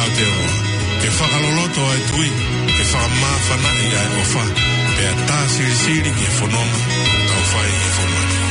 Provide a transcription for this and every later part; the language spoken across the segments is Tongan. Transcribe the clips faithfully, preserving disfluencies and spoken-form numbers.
Aotearoa, ke fakaloloto ʻa e tui, ke fakamāfanaʻi ʻa e ʻofa, pea tā silisili ki he fononga ʻoku tau fai he fonua ni.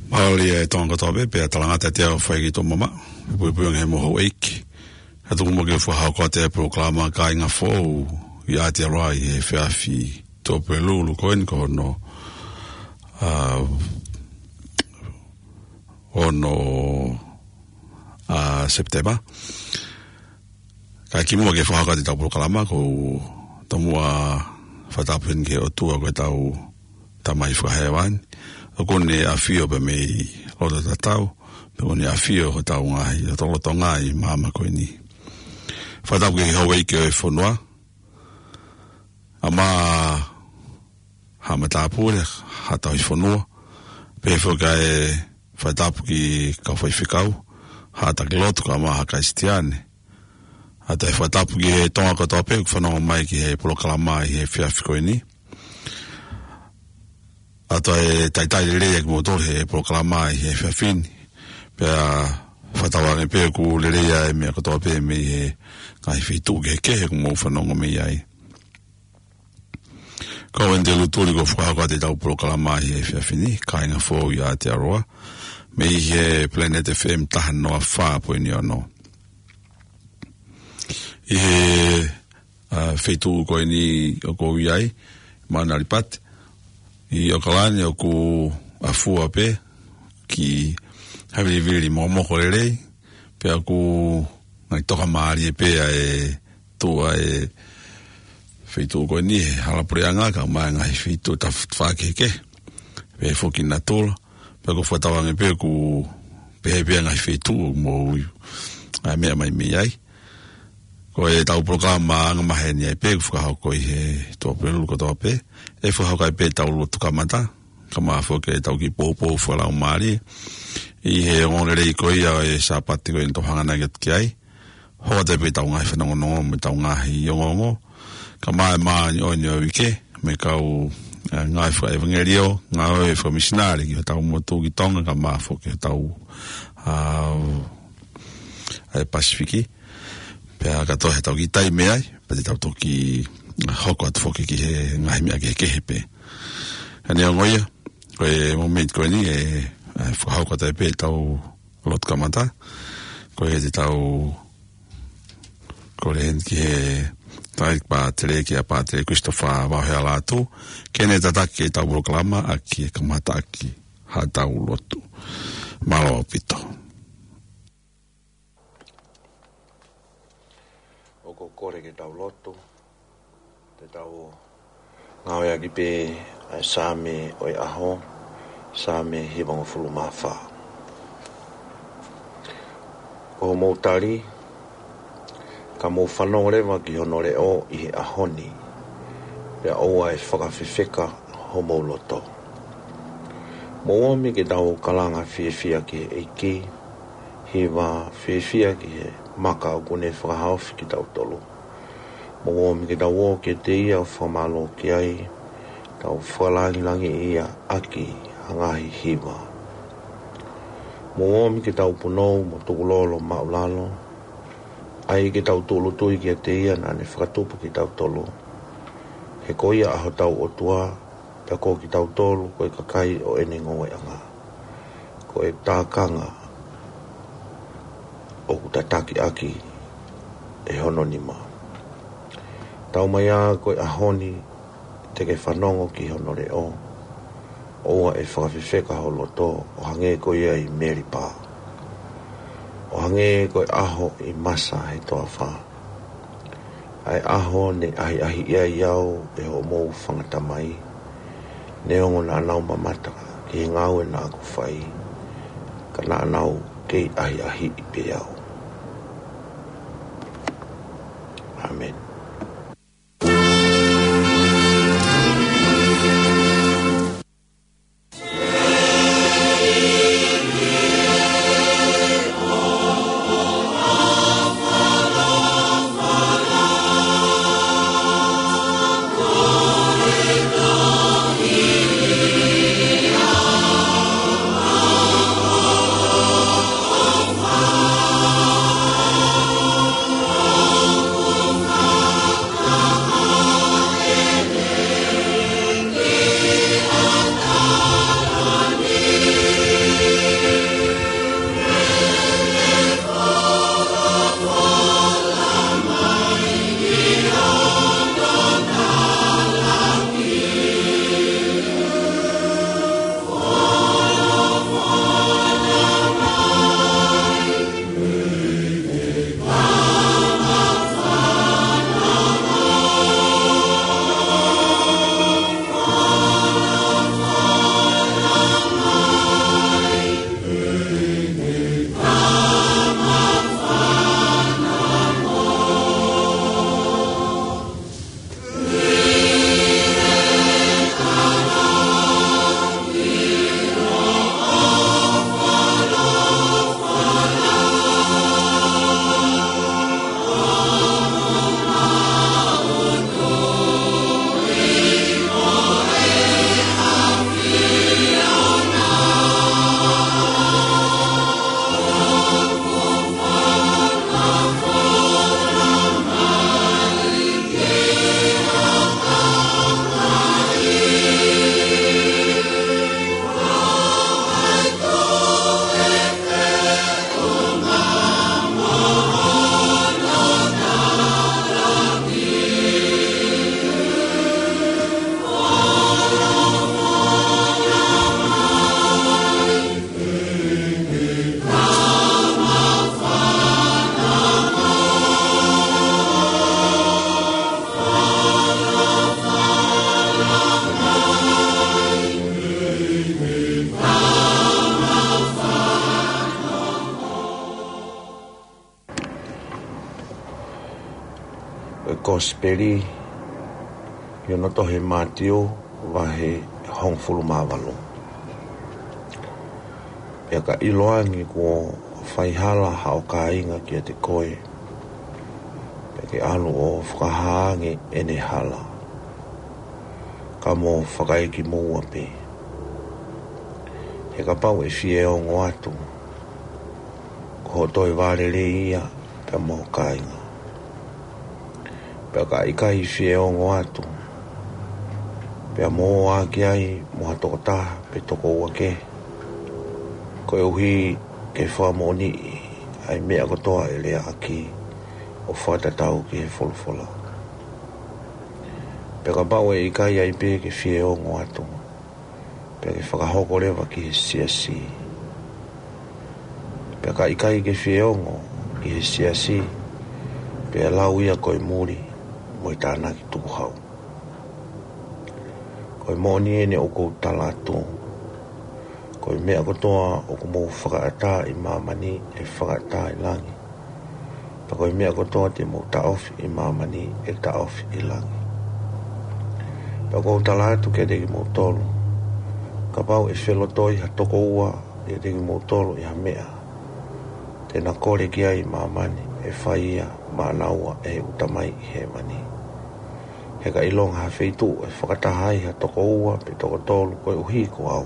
Mālō e Tonga kotoa pē, pea talangata ʻa e ʻofa ʻa e ʻEiki ki hoʻomou mamaʻo, puipui ʻa e ngaahi moʻui houʻeiki. Ka tuku muʻa ke fakahoko atu e polokalama Kāinga Foʻou ʻi Aotearoa ʻi he efiafi Tuʻapulelulu ko eni ko hono, ā, ono ʻa Sepitema. Kae kimuʻa ke fakahoko atu ʻetau polokalama, ʻoku ou tomuʻa fakatapu heni ki he ʻOtua ko ʻetau Tamai Fakahēvani. ʻOku ne ʻafio pē mei loto tatau, pea ʻoku ne ʻafio hotau ngaahi, hotau lolotonga ʻi māmani ko eni. Fakatapu ki he houʻeiki ʻo e fonua, ʻa Maʻa Haʻa Matāpule, Haʻa Tauhi Fonua, pehē foki ʻa e fakatapu ki he kau faifekau, Haʻa Taki Lotu, kae ʻumaʻā Haʻa Kalisitiane. ʻA ia ʻoku ou fakatapu ki he Tonga kotoa pē ʻoku fanongo mai ki he polokalama ʻi he efiafi ko eni. ʻA ia ʻoku talitali lelei ʻa kimoutolu he polokalama ʻi he efiafi ni. Pea fakatauange pē ʻoku lelei ʻa e meʻa kotoa pē mei he ngaahi feituʻu kehekehe ʻoku mou fanongo mei ai. Ko au Andy Lutuli ʻoku ou fakahoko atu ʻetau polokalama ʻi he efiafi ni, Kāinga Foʻou ʻi Aotearoa, mei he Planet F M taha noa fā poini ono. ʻI he, ā, feituʻu ko eni ʻoku ou ʻi ai, Mauna Lipati, ʻi ʻAokalani, ʻoku ʻafua pē ki ha vilivili mokomoko lelei, pea ʻoku ngaahi toka mālie pē ʻa e tuʻu ʻa e feituʻu ko eni he hala puleʻanga kae ʻumaʻā e ngaahi feituʻu taf-, tafaʻaki kehekehe. Pehē foki natula, pea ʻoku ou fakatauange pē ʻoku pehē pē ʻa e ngaahi feituʻu ʻoku mou ʻi ai, ʻa e meʻa mai mei ai. Ko ʻetau polokalama angamaheni ai pē ʻoku fakahoko ʻi he Tuʻapulelulu kotoa pē, ʻe fakahoko ai pē ʻetau lotu kamata, kae ʻumaʻā foki ʻetau kiʻi poupou fakalaumālie ʻi he ongoongolelei ko ia ʻo e Sāpate ko eni ʻoku tau hanganaki atu ki ai. Hoko atu pē ʻetau ngaahi fanongonongo mo ʻetau ngaahi ongoongo, kae ʻumaʻā e māʻoniʻoni ʻo e uike, mo e kau, ā, ngāue fakaʻevangeliō, ngāue fakamisinale ki hotau motu ki Tonga, kae ʻumaʻā foki hotau, ā, ʻa e Pasifiki. Pea kātoa ʻetau kiʻi taimi ai, pea te tau toki hoko atu foki ki he ngaahi meʻa kehekehe pē. Neongo ia, ko e momeniti ko eni ʻe, ʻe fakahoko atu ai pē ʻetau lotu kamata. Ko ia te tau kole heni ki he tangataʻeiki pātele, kia Pātele Christopher Vauhea Lātū, ke ne tataki ʻetau polokalama ʻaki e kamataʻaki haʻatau lotu. Mālō ʻaupito. ʻOku ou kole ke tau lotu, te tau ngāueʻaki pē ʻa e Saame ʻo e ʻaho, Saame hivangofulu mā fā. Ko hoʻomou tali, ka mou fanongo leva ki hono leʻo ʻi he ʻaho ni, pea ʻoua ʻe fakafefeka homou loto. Mou omi ke tau kalanga fiefia ki he ʻEiki, hiva fiefia ki he maka ʻoku ne fakahaofi kitautolu. Mou omi ke tau ō kiate ia ʻo fakamālō ki ai, tau fakalangilangiʻi ia ʻaki ha ngaahi hiva. Mou omi ke tau punou mo tukulolo maʻulalo, ʻai ke tau tūʻulutui kiate ia naʻa ne fakatupu kitautolu. He ko ia ʻa hotau ʻOtua, pea ko kitautolu ko e kakai ʻo ʻene ngoueʻanga. Ko e tākanga ʻoku tataki ʻaki ʻe hono nima. Tau mai ā ko e ʻaho ni te ke fanongo ki hono leʻo, ʻoua ʻe fakafefeka ho loto, ʻo hangē ko ia ʻi Melipa, ʻo hangē ko e ʻaho ʻi Masa he toafa, ʻa e ʻaho ne ʻahiʻahiʻi ai au ʻe hoʻomou fanga tamai, neongo naʻa nau mamata ki he ngāue naʻa ku fai, ka naʻa nau kei ʻahiʻahiʻi pē au. ʻĀmeni. Ko e Kosipeli ʻi hono tohi ʻe Mātiu, vahe hongofulu mā valu. Pea ka ʻiloange kuo fai hala haʻo kāinga kiate koe, pea ke ʻalu ʻo fakahā ange ʻene hala, ka mo fakaekimuʻa pē. He kapau ʻe fie ongo atu, ko hoʻo toe vālelei ia pea mo ho kāinga. Pea ka ʻikai fie ongo atu, Pea mo ō ā ki ai mo ha tokotaha pe toko ua kehe, koeʻuhi ke fakamoʻoniʻi ʻa e meʻa kotoa ʻe leaʻaki ʻo fakatatau ki he folofola. Pea kapau ʻe ʻikai ai pē ke fie ongo atu, pea ke fakahoko leva ki he siasi. Pea ka ʻikai ke fie ongo ki he siasi, pea lau ia ko e muli mo e tānaki tukuhau. Ko e moʻoni eni ʻoku ou tala atu, ko e meʻa kotoa ʻoku mou fakaʻatā ʻi māmani ʻe fakaʻatā ʻi langi. Pea ko e meʻa kotoa te mou taʻofi ʻi māmani ʻe taʻofi ʻi langi. Pea ʻoku ou tala atu kiate kimoutolu, kapau ʻe felotoi ha toko ua ʻiate kimoutolu ʻi ha meʻa te na kole ki ai ʻi māmani, ʻe fai ia maʻanaua ʻe heʻeku Tamai ʻi hēvani. He ka ʻilonga ha feituʻu ʻe fakataha ai ha toko ua pe toko tolu koeʻuhi ko au,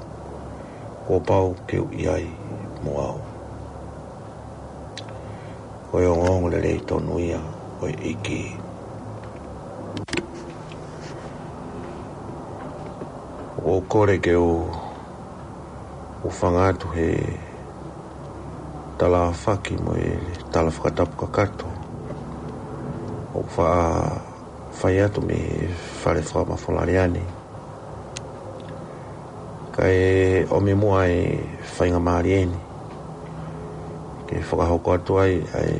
kuo pau ke u ʻi ai mo au. Ko e ongoongolelei tonu ia ʻo e ʻEiki. ʻOku ou kole ke u, u hūfanga atu he tala fakatapu mo e tala fakatapu kakato ʻoku faʻa fai atu mei he fale fakamafola lea ni. Kae ʻomi muʻa e faingamālie ni ke fakahoko atu ai ʻa e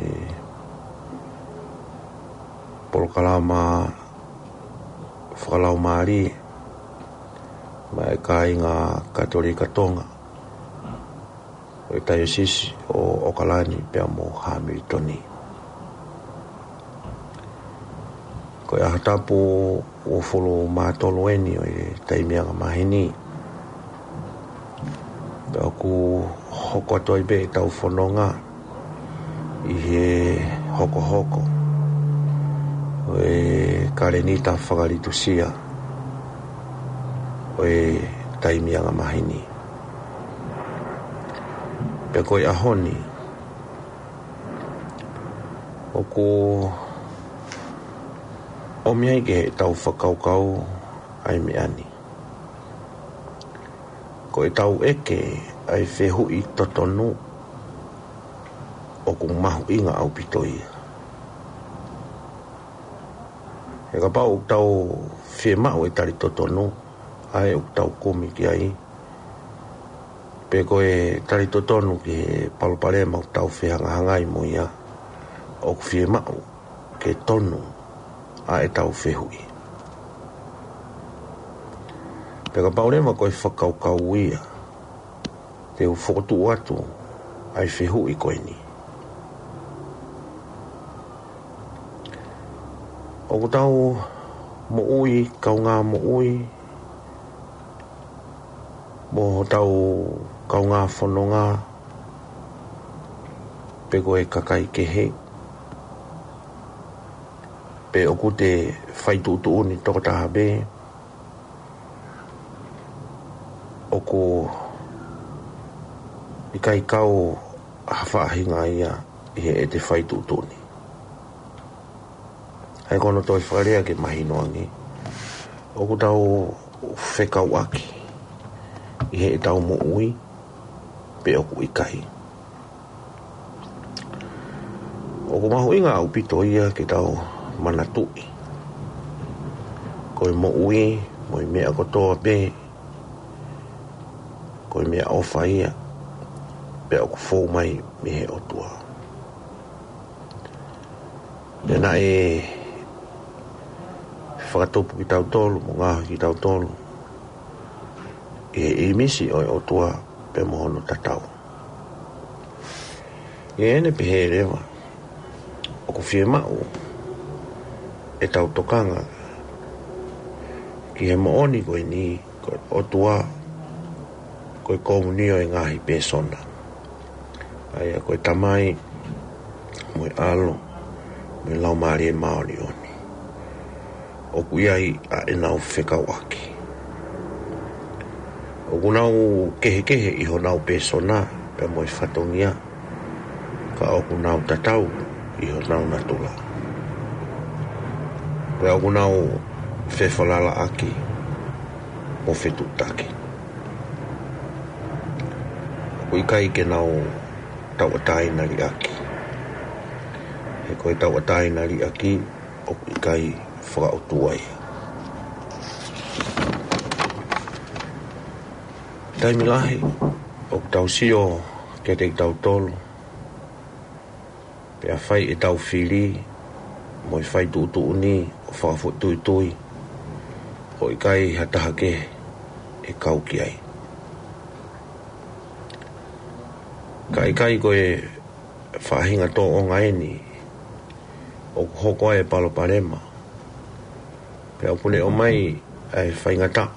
polokalama fakalaumālie maʻa e kāinga Katolika Tonga ʻo e Taiosisi ʻo ʻOkalani pea mo Hamilton. Ko e ʻaho tapu uofulu mā tolu eni ʻo e taimi angamaheni. Pea ʻoku hoko atu ai pē ʻetau fononga ʻi he hokohoko ʻo e kalēnita fakalitusia ʻo e taimi angamaheni. Pea ko e ʻaho ni, ʻoku ʻomi ai ke tau fakakaukau ʻa e meʻa ni. Ko ʻetau ʻeke ʻa e fehuʻi totonu, ʻoku mahuʻinga ʻaupito ia. He kapau ʻoku tau fiemaʻu e tali totonu, ʻa ē ʻoku tau kumi ki ai, pe ko e tali totonu ki he palopalema ʻoku tau fehangahangai mo ia, ʻoku fiemaʻu ke tonu ʻa ʻetau fehuʻi. Pea kapau leva ko e fakakaukau ia, te u fokotuʻu atu ʻa e fehuʻi ko eni. ʻOku tau moʻui, kaungā moʻui, mo hotau kaungā fononga, pe ko e kakai kehe, pe ʻoku te fai tuʻutuʻuni tokotaha pē, ʻoku ʻikai kau ha faʻahinga ia ʻi heʻete fai tuʻutuʻuni. ʻA ia ko hono toe fakalea ke mahino ange, ʻoku tau fekauʻaki ʻi heʻetau moʻui pe ʻoku ʻikai. ʻOku mahuʻinga ʻaupito ia ke tau manatuʻi, ko e moʻui mo e meʻa kotoa pē, ko e meʻaʻofa ia, pea ʻoku fou mai mei he ʻOtua. Pea naʻe fakatupu kitautolu mo ngaohi kitautolu ʻi he ʻīmisi ʻo e ʻOtua pea mo hono tatau. ʻI heʻene pehē leva, ʻoku fiemaʻu ʻetau tokanga ki he moʻoni ko eni, ko e ʻOtua, ko e komunio ʻo e ngaahi pēsona. ʻA ia ko e Tamai, mo e ʻAlo, mo e Laumālie Māʻoniʻoni. ʻOku ʻi ai ʻa ʻenau fekauʻaki. ʻOku nau kehekehe ʻi honau pēsona pea mo e fatongia, ka ʻoku nau tatau ʻi honau natula. Pea ʻoku nau fefalalaʻaki. mo fetuʻutaki. ʻOku ʻikai ke nau tauʻatāina liʻaki. He ko e tauʻatāina liʻaki ʻoku ʻikai fakaʻotua ia. Taimi lahi ʻoku tau sio kiate kitautolu, pea fai ʻetau fili mo e fai tuʻutuʻuni ʻo fakafoʻituitui, ʻo ʻikai ha taha kehe ʻe kau ki ai. Ka ʻikai ko e faʻahinga tōʻonga eni ʻoku hoko ai e palopalema, pea ʻoku ne ʻomai ʻa e faingataʻa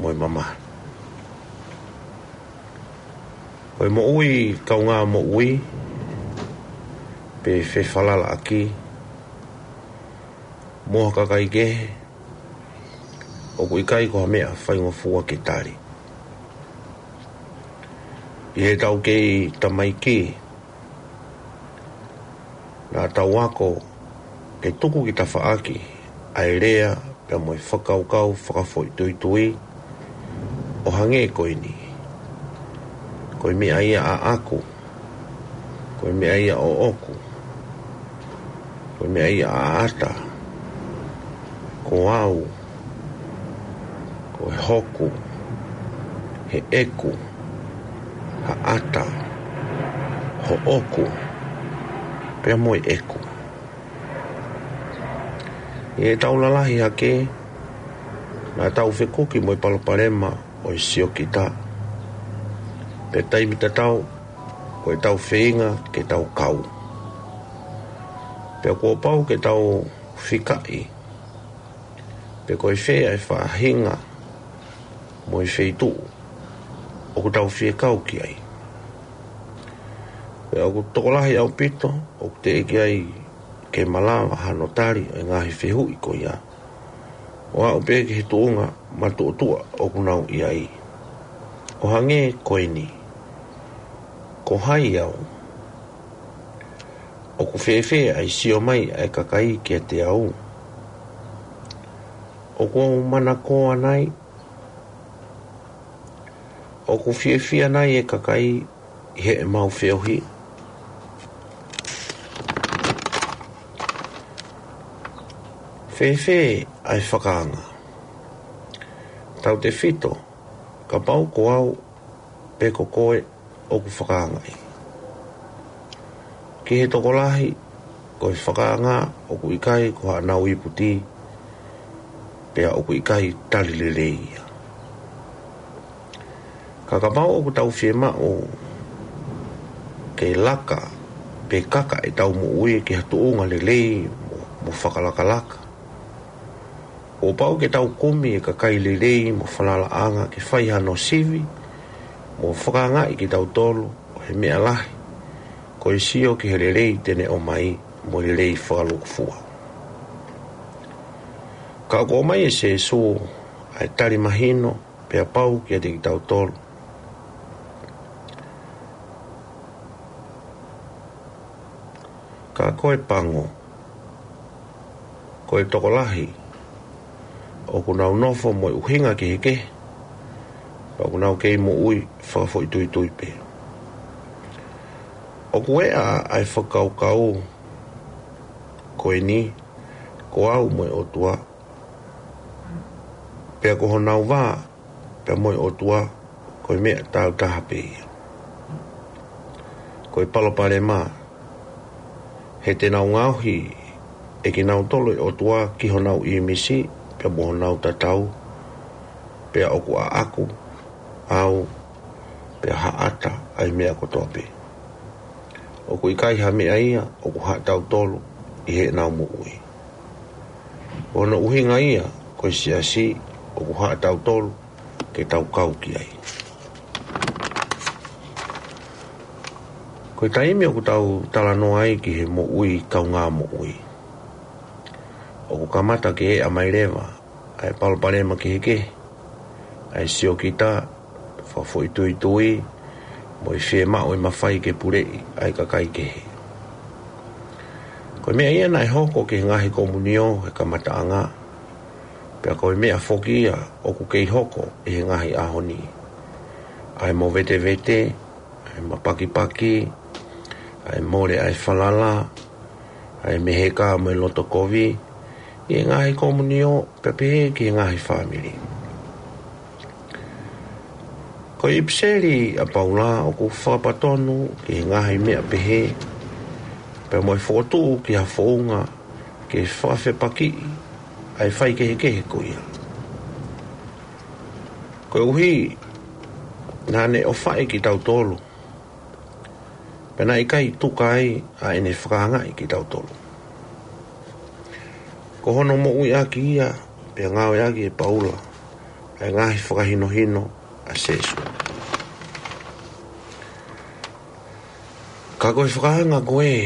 mo e mamahi. Ko e moʻui kaungā moʻui, pe fefalalaʻaki mo ha kakai kehe, ʻoku ʻikai ko ha meʻa faingofua ke tali. ʻI heʻetau kei tamaiki, naʻa tau ako ke tuku ki tafaʻaki ʻa e lea pea mo e fakakaukau fakafoʻituitui ʻo hangē ko eni: Ko e meʻa ia ʻaʻaku, ko e meʻa ia ʻoʻoku, ko e meʻa ia ʻaʻata, ko au, ko e hoku, heʻeku, haʻata, hoʻoku, pea mo e ʻeku. ʻI heʻetau lalahi hake, naʻa tau fekuki mo e palopalema ʻo e siokita, pea taimi tatau ko ʻetau feinga ke tau kau. Pea kuo pau ke tau fikaʻi pe ko e fē ʻa e faʻahinga mo e feituʻu ʻoku tau fie kau ki ai. Pea ʻoku tokolahi ʻaupito ʻoku teʻeki ai ke malava hano tali ʻo e ngaahi fehuʻi ko ia, ʻo aʻu pē ki he tuʻunga matuʻotuʻa ʻoku nau ʻi ai, ʻo hangē ko eni: Ko hai au? ʻOku fēfē ʻa e sio mai ʻa e kakai kiate au? ʻOku ou manakoa nai? ʻOku fiefia nai e kakai ʻi heʻemau feohi? Fēfē ʻa e fakaanga? Tautefito kapau ko au pe ko koe ʻoku fakaangaʻi. Ki he tokolahi, ko e fakaanga ʻoku ʻikai ko haʻanau iputi, pea ʻoku ʻikai tali lelei ia. Ka kapau ʻoku tau fiemaʻu ke laka pe kaka ʻetau moʻui ki ha tuʻunga lelei mo, mo fakalakalaka, kuo pau ke tau kumi e kakai lelei mo falalaʻanga ke fai hano sivi mo fakaangaʻi kitautolu ʻo he meʻa lahi, ko e sio ki he lelei te ne ʻomai mo e lelei fakalūkufua. Ka ʻoku ʻomai ʻe Sēsū ʻa e tali mahino pea pau kiate kitautolu: Ka ko e pango, ko e tokolahi ʻoku nau nofo mo e ʻuhinga kehekehe, pea ʻoku nau kei moʻui fakafoʻituitui pē. ʻOku ʻeʻa ʻa e fakakaukau ko eni: Ko au mo e ʻOtua, pea ko honau vā pea mo e ʻOtua, ko e meʻa tāutaha pē ia. Ko e palopalema, he te nau ngaohi ʻe kinautolu e ʻOtua ki honau ʻīmisi pea mo honau tatau, pea ʻoku ʻaʻaku au, pea haʻata ʻa e meʻa kotoa pē. ʻOku ʻikai ha meʻa ia ʻoku haʻatautolu ʻi heʻenau moʻui. Ko hono ʻuhinga ia, ko e siasi ʻoku haʻatautolu ke tau kau ki ai. Ko e taimi ʻoku tau talanoa ai ki he moʻui kaungā moʻui, ʻoku kamata ke ʻeʻa mai leva ʻa e palopalema kehekehe, ʻa e siokita, fakafoʻituitui, mo e fiemaʻu e mafai ke puleʻi ʻa e kakai kehe. Ko e meʻa ia naʻe hoko ki he ngaahi komunio he kamataʻanga, Pea ko e meʻa foki ia ʻoku kei hoko ʻi he ngaahi ʻaho ni. ʻA e movetevete, ʻa e mapakipaki, ʻa e mole ʻa e falala, ʻa e meheka mo e loto kovi, ʻi he ngaahi komunio, pea pehē ki he ngaahi fāmili. Ko e ʻipiseli ʻa Paula ʻoku fakapatonu ki he ngaahi meʻa pehē, pea mo e fokotuʻu ki ha founga ke fakafepakiʻi ʻa e faikehekehe ko ia. Koeʻuhi, naʻa ne ʻofaʻi kitautolu, pea naʻe ʻikai tuka ai ʻa ʻene fakaangaʻi kitautolu. Ko hono moʻuiʻaki ia, pea ngāueʻaki ʻe Paula ʻa e ngaahi fakahinohino ʻa Sēsū. Ka ko e fakaanga ko ē,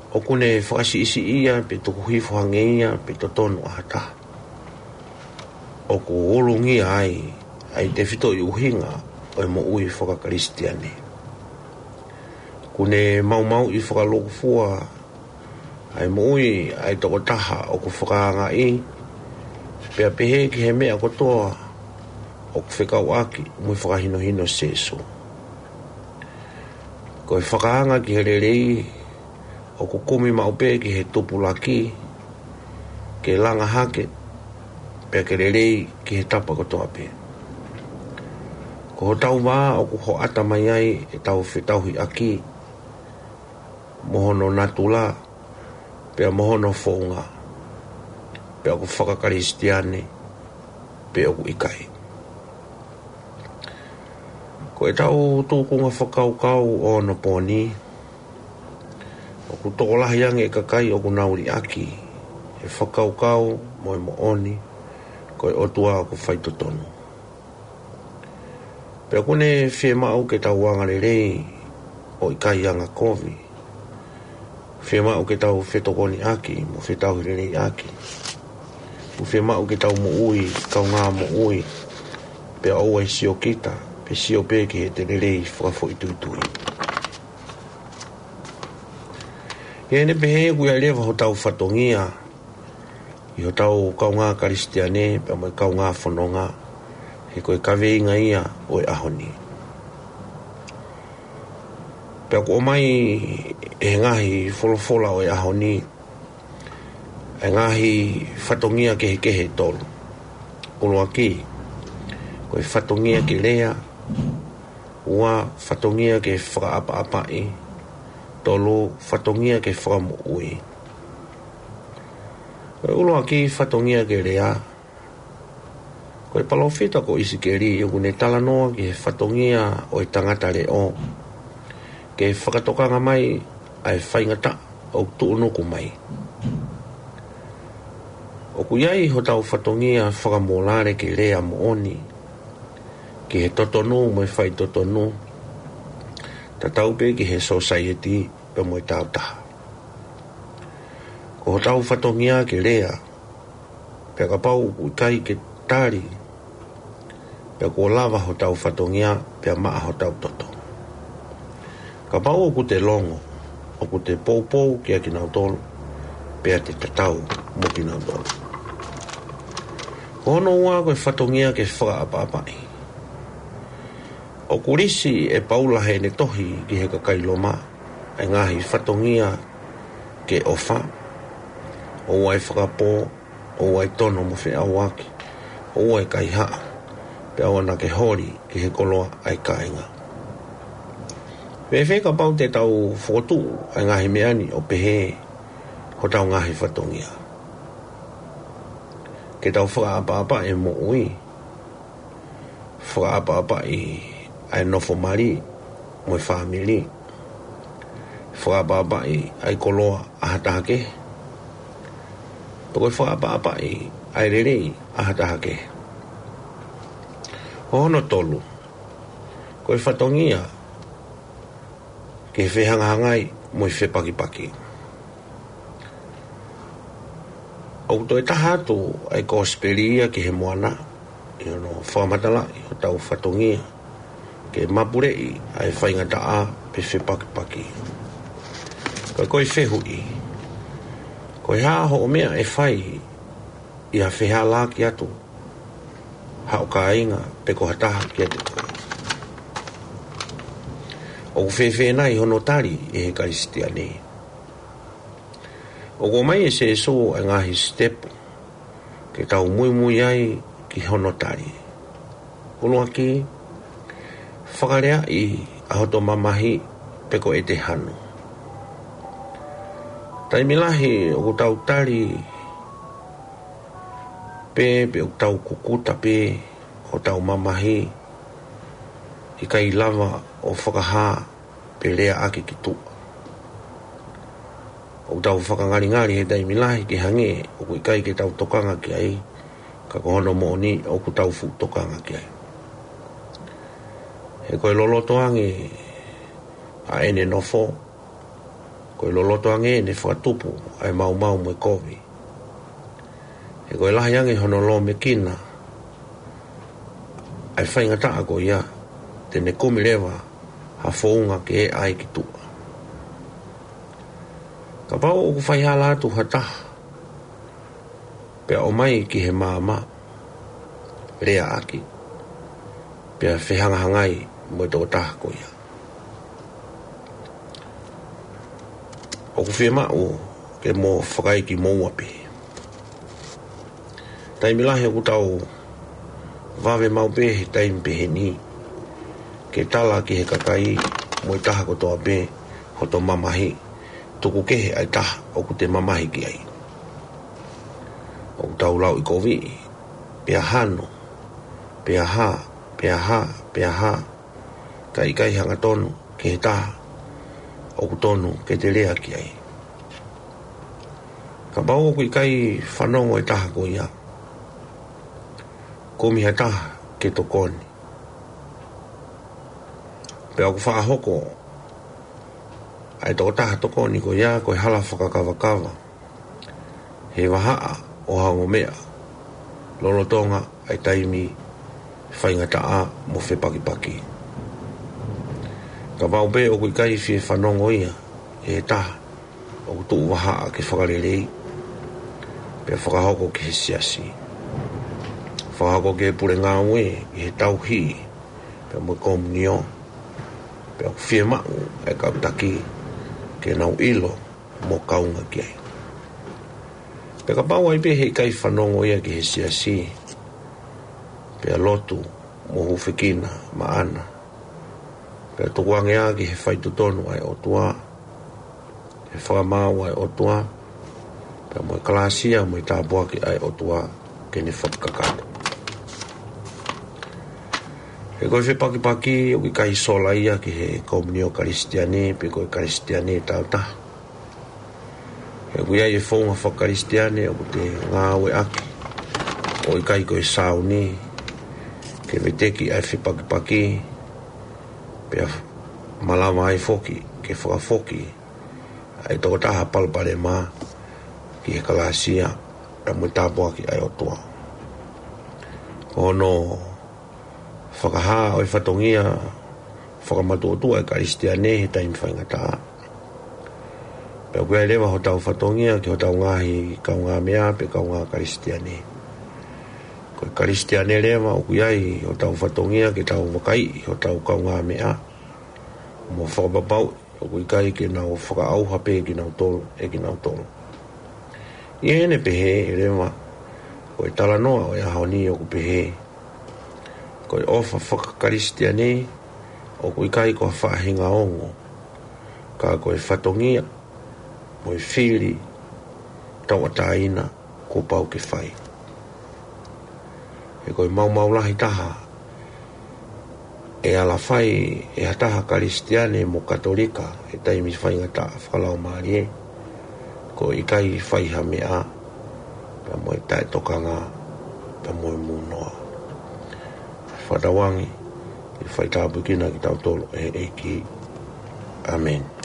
ʻoku ne fakasiʻisiʻi ia, pe tuku hifo hangē ia, pe totonu ʻa ha taha, ʻoku ulungia ai ʻa e tefitoʻi ʻuhinga ʻo e moʻui fakakalisitiane. ʻOku ne maumauʻi fakalūkufua ʻa e moʻui ʻa e tokotaha ʻoku fakaangaʻi, pea pehē ki he meʻa kotoa ʻoku fekauʻaki mo e fakahinohino ʻa Sēsū. Ko e fakaanga ki he lelei, ʻoku kumi maʻu pē ki he tupulaki, ke langa hake, pea ke lelei ki he tapa kotoa pē. Ko hotau vā ʻoku hoʻata mai ai ʻetau fetauhiʻaki, mo hono natula, pea mo hono founga, pe ʻoku fakakalisitiane, pe ʻoku ʻikai. Ko ʻetau tūkunga fakakaukau ʻo onopooni, ʻoku tokolahi ange e kakai ʻoku nau liʻaki e fakakaukau mo e moʻoni, ko e ʻOtua ʻoku faitotonu. Pea ʻoku ne fiemaʻu ke tau anga lelei ʻo ʻikai anga kovi. Fiemaʻu ke tau fetokoniʻaki mo fetauhileleiʻaki. ʻOku fiemaʻu ke tau moʻui kaungā moʻui, pea ʻoua ʻe siokita, pe sio pē ki heʻete lelei fakafoʻituitui. ʻI heʻene pehē, ʻoku ʻi ai leva hotau fatongia ʻi hotau kaungā Kalisitiane, pea mo e kaungā fononga, he ko e kaveinga ia ʻo e ʻaho ni. Pea ʻoku ʻomai ʻe he ngaahi folofola ʻo e ʻaho ni ʻa e ngaahi fatongia kehekehe ʻe tolu. ʻUluaki, ko e fatongia ke lea. Ua, fatongia ke fakaʻapaʻapaʻi. Tolu, fatongia ke fakamoʻui. Ko e ʻuluaki, fatongia ke lea. Ko e palōfita ko ʻIsikeli ʻoku ne talanoa ki he fatongia ʻo e tangata leʻo ke fakatokanga mai ʻa e faingataʻa ʻoku tuʻunuku mai. ʻOku ʻi ai hotau fatongia fakamōlale ke lea moʻoni ki he totonu mo e faitotonu, tatau pē ki he sōsaieti pea mo e tāutaha. Ko hotau fatongia ke lea, pea kapau ʻoku ʻikai ke tali, pea kuo lava hotau fatongia, pea maʻa hotau toto. Kapau ʻoku te longo, ʻoku te poupou kiate kinautolu, pea te tatau mo kinautolu. Ko hono ua, ko e fatongia ke fakaʻapaʻapaʻi. ʻOku lisi ʻe Paula heʻene tohi ki he kakai Loma ʻa e ngaahi fatongia ke ʻofa, ʻoua ʻe fakapō, ʻoua ʻe tono mo feʻauaki, ʻoua ʻe kaihaʻa, pea ʻoua naʻa ke holi ki he koloa ʻa e kāinga. Fēfē kapau te tau fokotuʻu ʻa e ngaahi meʻa ni ʻo pehē hotau ngaahi fatongia? Ke tau fakaʻapaʻapaʻi e moʻui, fakaʻapaʻapaʻi ʻa e nofo mali mo e fāmili, fakaʻapaʻapaʻi ʻa e koloa ʻa ha taha kehe, pe ko e fakaʻapaʻapaʻi ʻa e lelei ʻa ha taha kehe. Ko hono tolu, ko e fatongia ke fehangahangai mo e fepakipaki. ʻOku toe taha atu ʻa e kosipeli ia ki he Moana, ʻi hono fakamatalaʻi hotau fatongia ke mapuleʻi ʻa e faingataʻa pe fepakipaki. Ka ko e fehuʻi, ko e hā hoʻo meʻa ʻe fai ʻi ha fehālaaki atu haʻo kāinga pe ko ha taha kiate koe. ʻOku fēfē nai hono tali ʻe he Kalisitiane? ʻOku ʻomai ʻe Sīsū e ngaahi sitepu ke tau muimui ai ki hono tali. ʻUluaki, fakaleaʻi ʻa hoto mamahi pe ko ʻete hanu. Taimi lahi ʻoku tau tali pē pe ʻoku tau kukuta pē hotau mamahi, ʻikai lava ʻo fakahā pe leaʻaki ki tuʻa. ʻOku tau fakangalingali he taimi lahi ke hangē ʻoku ʻikai ke tau tokanga ki ai, ka ko hono moʻoni ʻoku tau fuʻu tokanga ki ai. He ko e loloto ange ʻa ʻene nofo, ko e loloto ange ʻene fakatupu ʻa e maumau mo e kovi. He ko e lahi ange hono lōmekina ʻa e faingataʻa ko ia, te ne kumi leva ha founga ke ʻai ki tuʻa. Kapau ʻoku faihala atu ha taha, pea ʻomai ki he maama, leaʻaki, pea fehangahangai mo e tokotaha ko ia. ʻOku fiemaʻu ke mo fakaiki moua pē. Taimi lahi ʻoku tau vave maʻu pē he taimi pehē ni ke tala ki he kakai mo e taha kotoa pē hoto mamahi, tuku kehe ʻa e taha ʻoku te mamahi ki ai. ʻOku tau lauʻikoviʻi, pea hanu, pea hā, pea hā, pea hā, kae ʻikai hangatonu ki he taha ʻoku tonu ke te lea ki ai. Kapau ʻoku ʻikai fanongo e taha ko ia, kumi ha taha ke tokoni. Pea ʻoku faʻa hoko ʻa e tokotaha tokoni ko ia ko e hala fakakavakava he vahaʻa ʻo ha ongo meʻa lolotonga ʻa e taimi faingataʻa mo fepakipaki. Kapau pē ʻoku ʻikai fie fanongo ia ʻe he taha ʻoku tuʻu vahaʻa ke fakalelei, pea fakahoko ki he siasi, fakahoko ki he pule ngāue, ʻi he tauhi, pea mo e komunio, pea ʻoku fiemaʻu e kau taki ke nau ʻilo mo kaunga ki ai. Pea kapau ai pē he ʻikai fanongo ia ki he siasi, pea lotu mo hūfekina maʻana, pea tukuange ā ki he faitotonu ʻa e ʻOtua, he fakamaau ʻa e ʻOtua, pea mo e kalāsia mo e tāpuaki ʻa e ʻOtua ke ne fakakakato. He ko e fepakipaki ʻoku ʻikai sola ia ki he komunio Kalisitiane pe ko e Kalisitiane tāutaha. He ʻoku ʻi ai e founga fakakalisitiane ʻoku te ngāueʻaki ʻo ʻikai ko e sāuni ke veteki ʻa e fepakipaki, pea malava ai foki ke fakafoki ʻa e tokotaha palopalema ki he kalāsia pea mo e tāpuaki ʻa e ʻOtua. Ko hono fakahā ʻo e fatongia fakamatuʻotuʻa ʻa e Kalisitiane he taimi faingataʻa. Pea ʻoku ʻi ai leva hotau fatongia ki hotau ngaahi kaungāmeʻa pe kaungā Kalisitiane. Ko e Kalisitiane leva ʻoku ʻi ai hotau fatongia ke tau vakaiʻi hotau kaungāmeʻa mo fakapapauʻi ʻoku ʻikai ke nau fakaʻauha pē kinautolu ʻe kinautolu. ʻI heʻene pehē leva, ko e talanoa ʻo e ʻaho ni ʻoku pehē, ko e ʻofa fakakalisitiane ʻoku ʻikai ko ha faʻahinga ongo, ka ko e fatongia mo e fili tauʻatāina kuo pau ke fai. He ko e maumau lahi taha ʻe ala fai ʻe ha taha Kalisitiane mo Katolika he taimi faingataʻa fakalaumālie, ko e ʻikai fai ha meʻa pea mo e taʻetokanga pea mo e mūnoa. Fakatauange ke faitāpuekina kitautolu ʻe he ʻEiki. ʻĀmeni.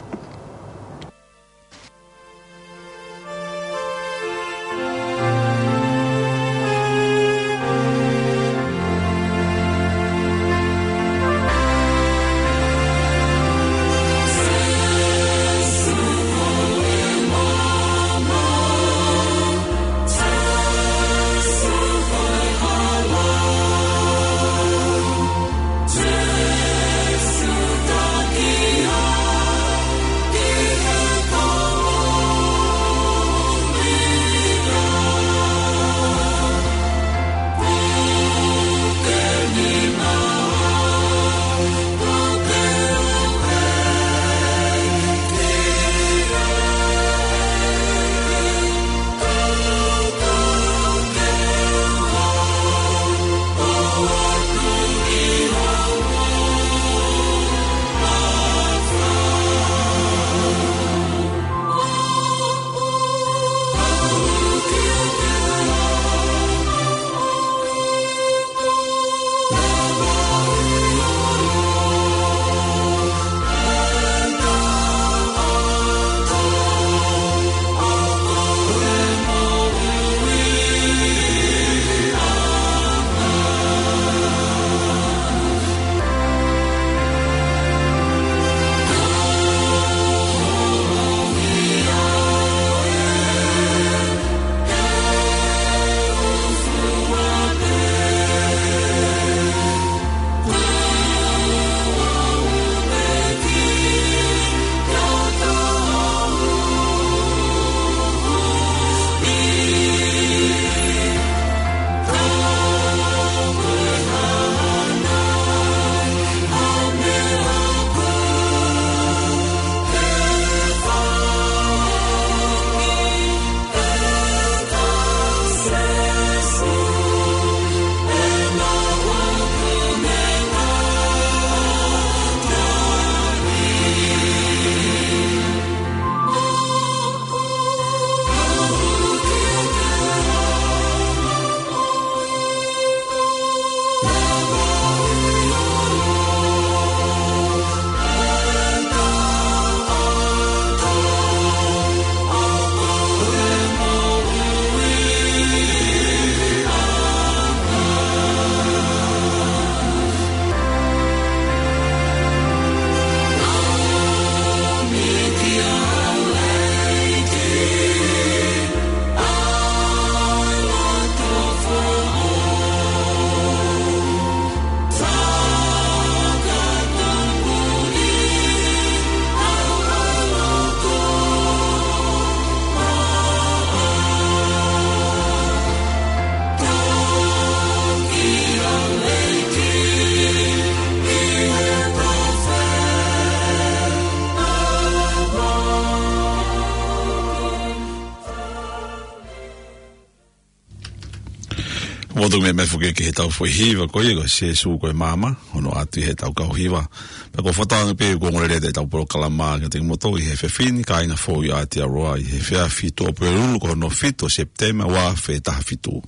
ʻOku tau meʻa mai foki ki heʻetau foʻi hiva ko ia ko Sēsū ko e Maama, hono ʻoatu ʻe heʻetau kau hiva. Pea ʻoku ou fakatauange pē ʻoku ongoongolelei atu ʻetau polokalama kiate kimoutolu ʻi he efiafi ni, kāinga foʻou ʻi Aotearoa ʻi he efiafi Tuʻapulelulu ko hono fitu ʻo Sepitema ua afe taha fitu.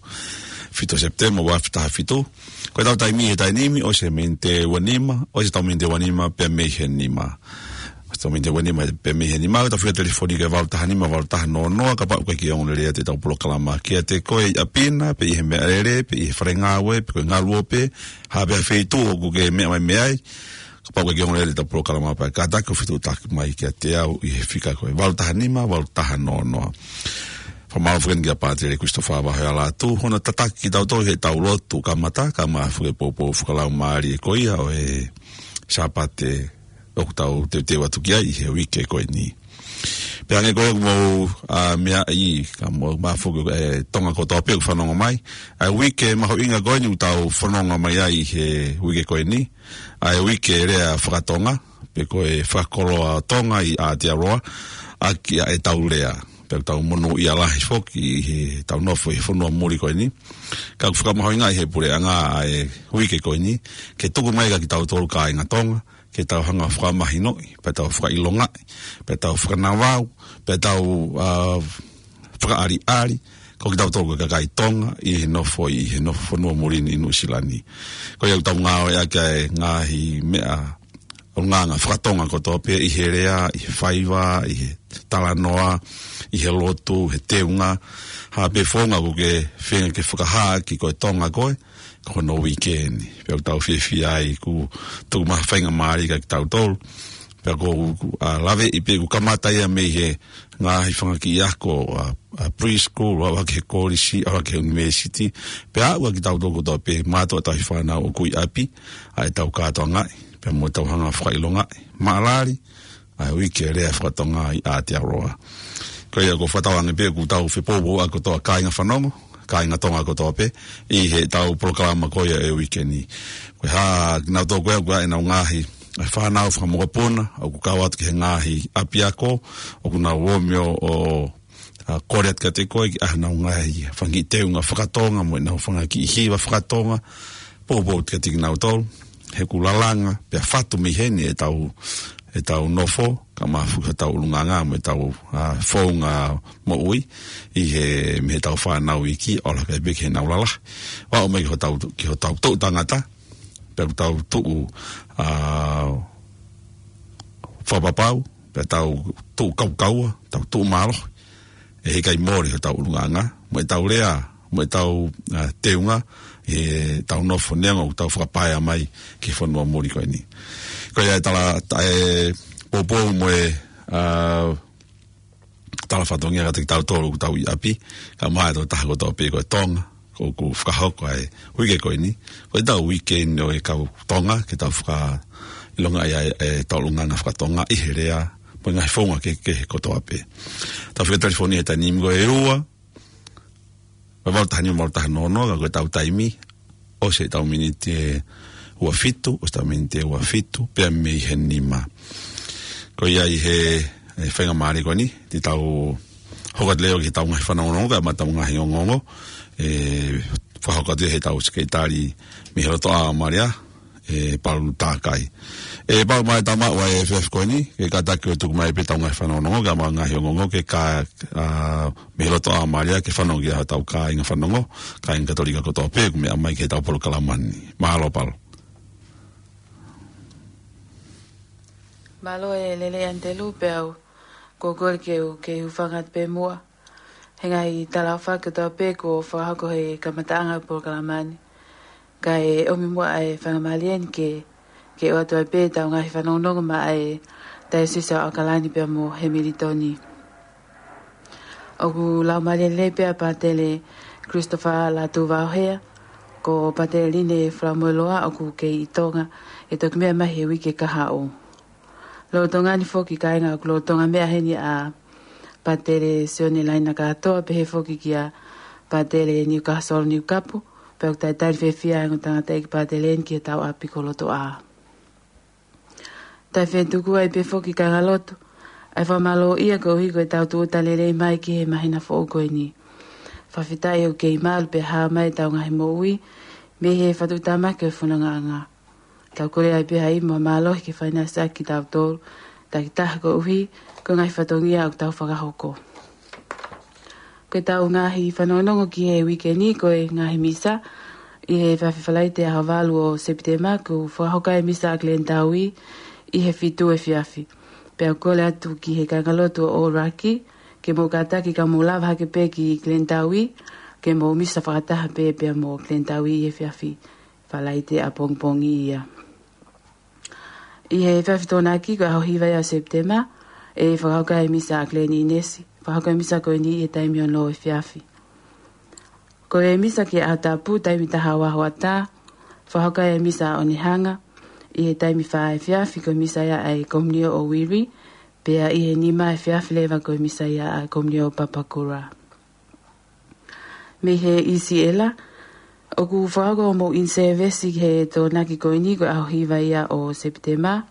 Fitu ʻo Sepitema ua afe taha fitu. Ko ʻetau taimi he taimi ni, ʻosi e miniti ua nima, ʻosi ʻetau miniti ua nima, pea mei he nima. ʻOsi ʻetau miniti ua nima, pea mei he nima, ʻoku tau fika telefoni ki he valu taha nima, valu taha noa noa, kapau ʻoku ʻikai ke ongoongolelei atu ʻetau polokalama kiate koe ʻi ʻapi na, pe ʻi he meʻalele, pe ʻi he fale ngāue, pe ko e ngaluope, ha pē feituʻu ʻoku ke meʻa mai mei ai, kapau ʻoku ʻikai ke ongoongolelei atu ʻetau polokalama pea kātaki ʻo fetuʻutaki mai kiate au ʻi he fika ko e valu taha nima, valu taha noa noa. Fakamālō foki kia Pātele Christopher Vahealatu, hono tataki kitautolu heʻetau lotu kamata, kae ʻumaʻā foki e poupou fakalaumālie ko ia ʻo e Sāpate ʻoku tau teuteu atu ki ai ʻi he uike ko eni. Pea hangē ko ia ʻoku mou, ā, meaʻi, kae ʻumaʻā foki e Tonga kotoa pē ʻoku fanongo mai. ʻA e uike mahuʻinga ko eni ʻoku tau fononga mai ai ʻi he uike ko eni. ʻA e uike lea fakatonga, pe ko e fakakoloa Tonga ʻi Aotearoa, ʻaki ʻa ʻetau lea. Pea ʻoku tau monūʻia lahi foki ʻi heʻetau nofo ʻi he fonua muli ko eni. Ka ʻoku fakamahuʻingaʻi ʻe he puleʻanga ʻa e uike ko eni, ke tuku mai kia kitautolu kāinga Tonga, ke tau hanga ʻo fakamahinoʻi, pea tau fakaʻilongaʻi, pea tau fakanavau, pea tau, ā, fakaʻaliʻali, ko kitautolu ko e kakai Tonga, ʻi he nofo, ʻi he nofo fonua muli ni ʻi Nuʻusila ni. Ko ia ʻoku tau ngāueʻaki ʻa e ngaahi meʻa, ʻulungaanga fakatonga kotoa pē ʻi he lea, ʻi he faiva, ʻi he talanoa, ʻi he lotu, he teunga, ha pē founga ʻoku ke feinga ke fakahā ki ko e Tonga koe, ko hono uike ni. Pea ʻoku tau fiefia ai ʻoku tuku mai ha faingamālie kia kitautolu. Pea ʻoku, ʻoku, ā, laveʻi pē ʻoku kamata ia mei he ngaahi fanga kiʻi ako, ā, ā, preschool, ʻalu hake he kolisi, ʻalu hake he university. Pea aʻu kia kitautolu kotoa pē mātuʻa tauhi fānau ʻoku ʻi ʻapi, ʻa ʻetau kātoangaʻi. Pea mo ʻetau hanga ʻo fakaʻilongaʻi. Maʻalali, ʻa e uike lea fakatonga ʻi Aotearoa. Ko ia ʻoku ou fakatauange pē ʻoku tau fepoupouʻaki kotoa kāinga fanongo, kāinga Tonga kotoa pē, ʻi heʻetau polokalama ko ia ʻo e uike ni. Ko e hā, kinautolu ko ia ʻoku ʻi ai ʻenau ngaahi, ā, fānau fakamokopuna, ʻoku kau atu ki he ngaahi ʻapiako, ʻoku nau ō mai ʻo, ā, kole atu kiate koe, ki heʻenau ngaahi fanga kiʻi teunga fakatonga, mo ʻenau fanga kiʻi hiva fakatonga, poupou atu kiate kinautolu, he ʻoku lalanga, pea fatu mei heni ʻetau, ʻetau nofo, kae ʻumaʻā foki hotau ʻulungaanga, mo ʻetau, ā, founga moʻui, ʻi he, mei heʻetau fānau iiki, ʻo laka pē ki heʻenau lalahi. ʻO aʻu mai ki hotau, ki hotau toʻu tangata, pea ʻoku tau tuʻu, ā, fakapapau, pea tau tuʻu kaukaua, tau tuʻu mālohi. ʻE heʻikai mole hotau ʻulungaanga, mo ʻetau lea, mo ʻetau, ā, teunga, ʻetau nofo neongo ʻoku tau fakapaea mai ki he fonua muli ko eni. Ko ia e tala, ta-, e poupou mo e, ā, tala fatongia kiate kitautolu ʻoku tau ʻi ʻapi, kae ʻumaʻā e tokotaha kotoa pē ko e Tonga, ʻoku fakahoko ʻa e uike ko eni, ko ʻetau uike eni ʻo e kau Tonga, ke tau fakaʻilongaʻi ʻa e, ʻetau ʻulungaanga fakatonga ʻi he lea, mo e ngaahi founga kehekehe kotoa pē. Tau fika telefoni he taimi ni ko e ua, ua valu taha nima valu taha noa noa, ka ko ʻetau taimi, ʻosi ʻetau miniti ʻe ua fitu, ʻosi ʻetau miniti ʻe ua fitu, pea mei he nima. Ko ia ʻi he, e, faingamālie ko eni, te tau hoko atu leva ki heʻetau ngaahi fanongonongo, kae ʻumaʻā ʻetau ngaahi ongoongo, ʻe, fakahoko atu ʻe heʻetau sekelitali mei he lotoʻā ʻo Malia, ʻe Palu Takai. ʻE Palu, mai tama ua e F F ko eni, ke kātaki ʻo tuku mai pē ʻetau ngaahi fanongonongo, kae ʻumaʻā ngaahi ongoongo, ke ka, ā, mei he lotoʻā ʻo Malia, ke fanongo ki ai hotau kāinga fanongo, kāinga Katolika kotoa pē, ʻoku meʻa mai ki heʻetau polokalama ni. Mālō Palu. Mālō e lelei ʻAnitelū, pea ʻoku ou kole ke u, ke u hūfanga atu pē muʻa he ngaahi talaʻofa kotoa pē kuo fakahoko he kamataʻanga ʻo e polokalama ni. Kae ʻomi muʻa ʻa e faingamālie ni ke, ke ʻoatu ai pē ʻetau ngaahi fanongonongo maʻa e Taiosisi ʻo ʻAokalani pea mo Hemilitoni. ʻOku laumālie lelei pē ʻa Pātele Christopher Lātū Vaohea, ko Pātele Line Falamoeloa ʻoku kei ʻi Tonga, ʻe toki meʻa mai he uike kahaʻu. Lolotonga ni foki kāinga ʻoku lolotonga meʻa heni ʻa Pātele Sione Laina Kātoa, pehē foki kia Pātele Niukasolo Niukapu, pea ʻoku talitali fiefia e ongo tangataʻeiki Pātele ni ki heʻetau ʻapi ko Lotoʻā. Tau fetuku ai pē foki kāinga lotu, ʻa e fakamālō ia koeʻuhi ko ʻetau tūʻuta lelei mai ki he māhina foʻou ko eni. Fakafetaʻi ʻoku kei malu pea hā mai ʻetau ngaahi moʻui mei he fakatuʻutāmaki ʻo e fonongaʻanga. Tau kole ai pē ha ʻimu mālohi ke fai ʻaki kitautolu takitaha koeʻuhi ko e ngaahi fatongia ʻoku tau fakahoko. Ko ʻetau ngaahi fanongonongo ki he uike ni ko e ngaahi misa ʻi he efiafi Falaite ʻaho valu ʻo Sepitema, ʻoku fakahoko ai e misa ʻa Glenn Taui ʻi he fitu efiafi. Pea ʻoku kole atu ki he kāingalotu ʻo ʻŌlaki ke mou kātaki ka mou lava hake pē ki Glenn Taui, ke mou misa fakataha pē pea mo Glenn Taui ʻi he efiafi Falaite ʻapongipongi ia. ʻI he efiafi Tokonaki ko e ʻaho hiva ia ʻo Sepitema, ʻe fakahoko ai e misa ʻa Glenn Inesi. Fakahoko ai e misa ko eni ʻi he taimi ono efiafi. Ko e misa ki he ʻaho Tapu, taimi taha ua hoʻatā, fakahoko ai e misa ʻa Onehanga ʻi he taimi fā efiafi, ko e misa ia ʻa e Komunio ʻo Wiri, pea ʻi he nima efiafi leva ko e misa ia ʻa e Komunio ʻo Papakura. Mei he ʻIsiela, ʻoku fakahoko hoʻomou in-service he Tokonaki ko eni ko e ʻaho hiva ia ʻo Sepitema.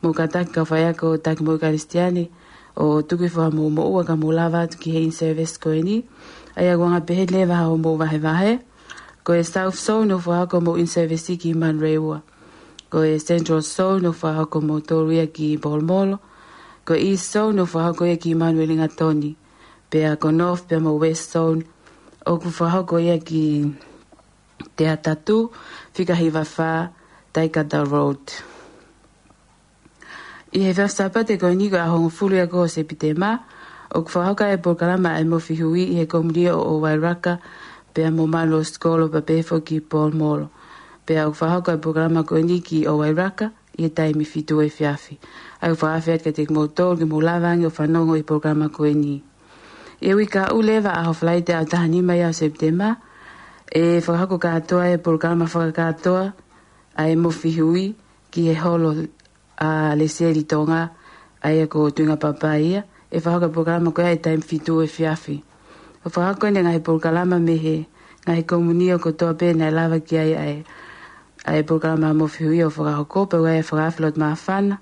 Mou kātaki kau faiako, taki moʻui Kalisitiane ʻo tuku hifo hoʻomou moʻua ka mou lava atu ki he in-service ko eni. ʻA ia ʻoku anga pehē leva hoʻomou vahevahe. Ko e South Zone ʻoku fakahoko hoʻomou in-service ki Manurewa. Ko e Central Zone ʻoku fakahoko hoʻomoutolu ia ki Polomolo. Ko e East Zone ʻoku fakahoko ia ki Manurewa Lingatoni. Pea ko e North pea mo e West Zone ʻoku fakahoko ia ki Te Atatu, Fika Hiva Fā, Taikata Road. ʻI he efiafi Sāpate ko eni ko e ʻaho hongofulu ia ko ē ʻo Sepitema, ʻoku fakahoko ai e polokalama ʻa e Mofihui ʻi he Komunio ʻo Wairaka, pea mo Manurewa Sikolo pea pehē foki ki Polomolo. Pea ʻoku fakahoko ai e polokalama ko eni ki ʻo Wairaka, ʻi he taimi fitu efiafi. ʻA ia ʻoku fakaafe atu kiate kimoutolu ke mou lava ange ʻo fanongo ʻi he polokalama ko eni. ʻI he uike kahaʻu leva, ʻaho Falaite ʻaho taha nima ia ʻo Sepitema, ʻe fakahoko kātoa e polokalama fakakātoa ʻa e Mofihui ki he holo ʻa Lesieli Tonga, ʻa ia ko Tuinga Papai ia, ʻe fakahoko e polokalama ko ia ʻi he taimi fitu efiafi. ʻOku fakahoko eni e ngaahi polokalama mei he ngaahi komunio kotoa pē naʻe lava ki ai ʻa e, ʻa e polokalama Mofihui ʻo fakahoko, pea ʻoku ʻi ai e fakaafe loto māfana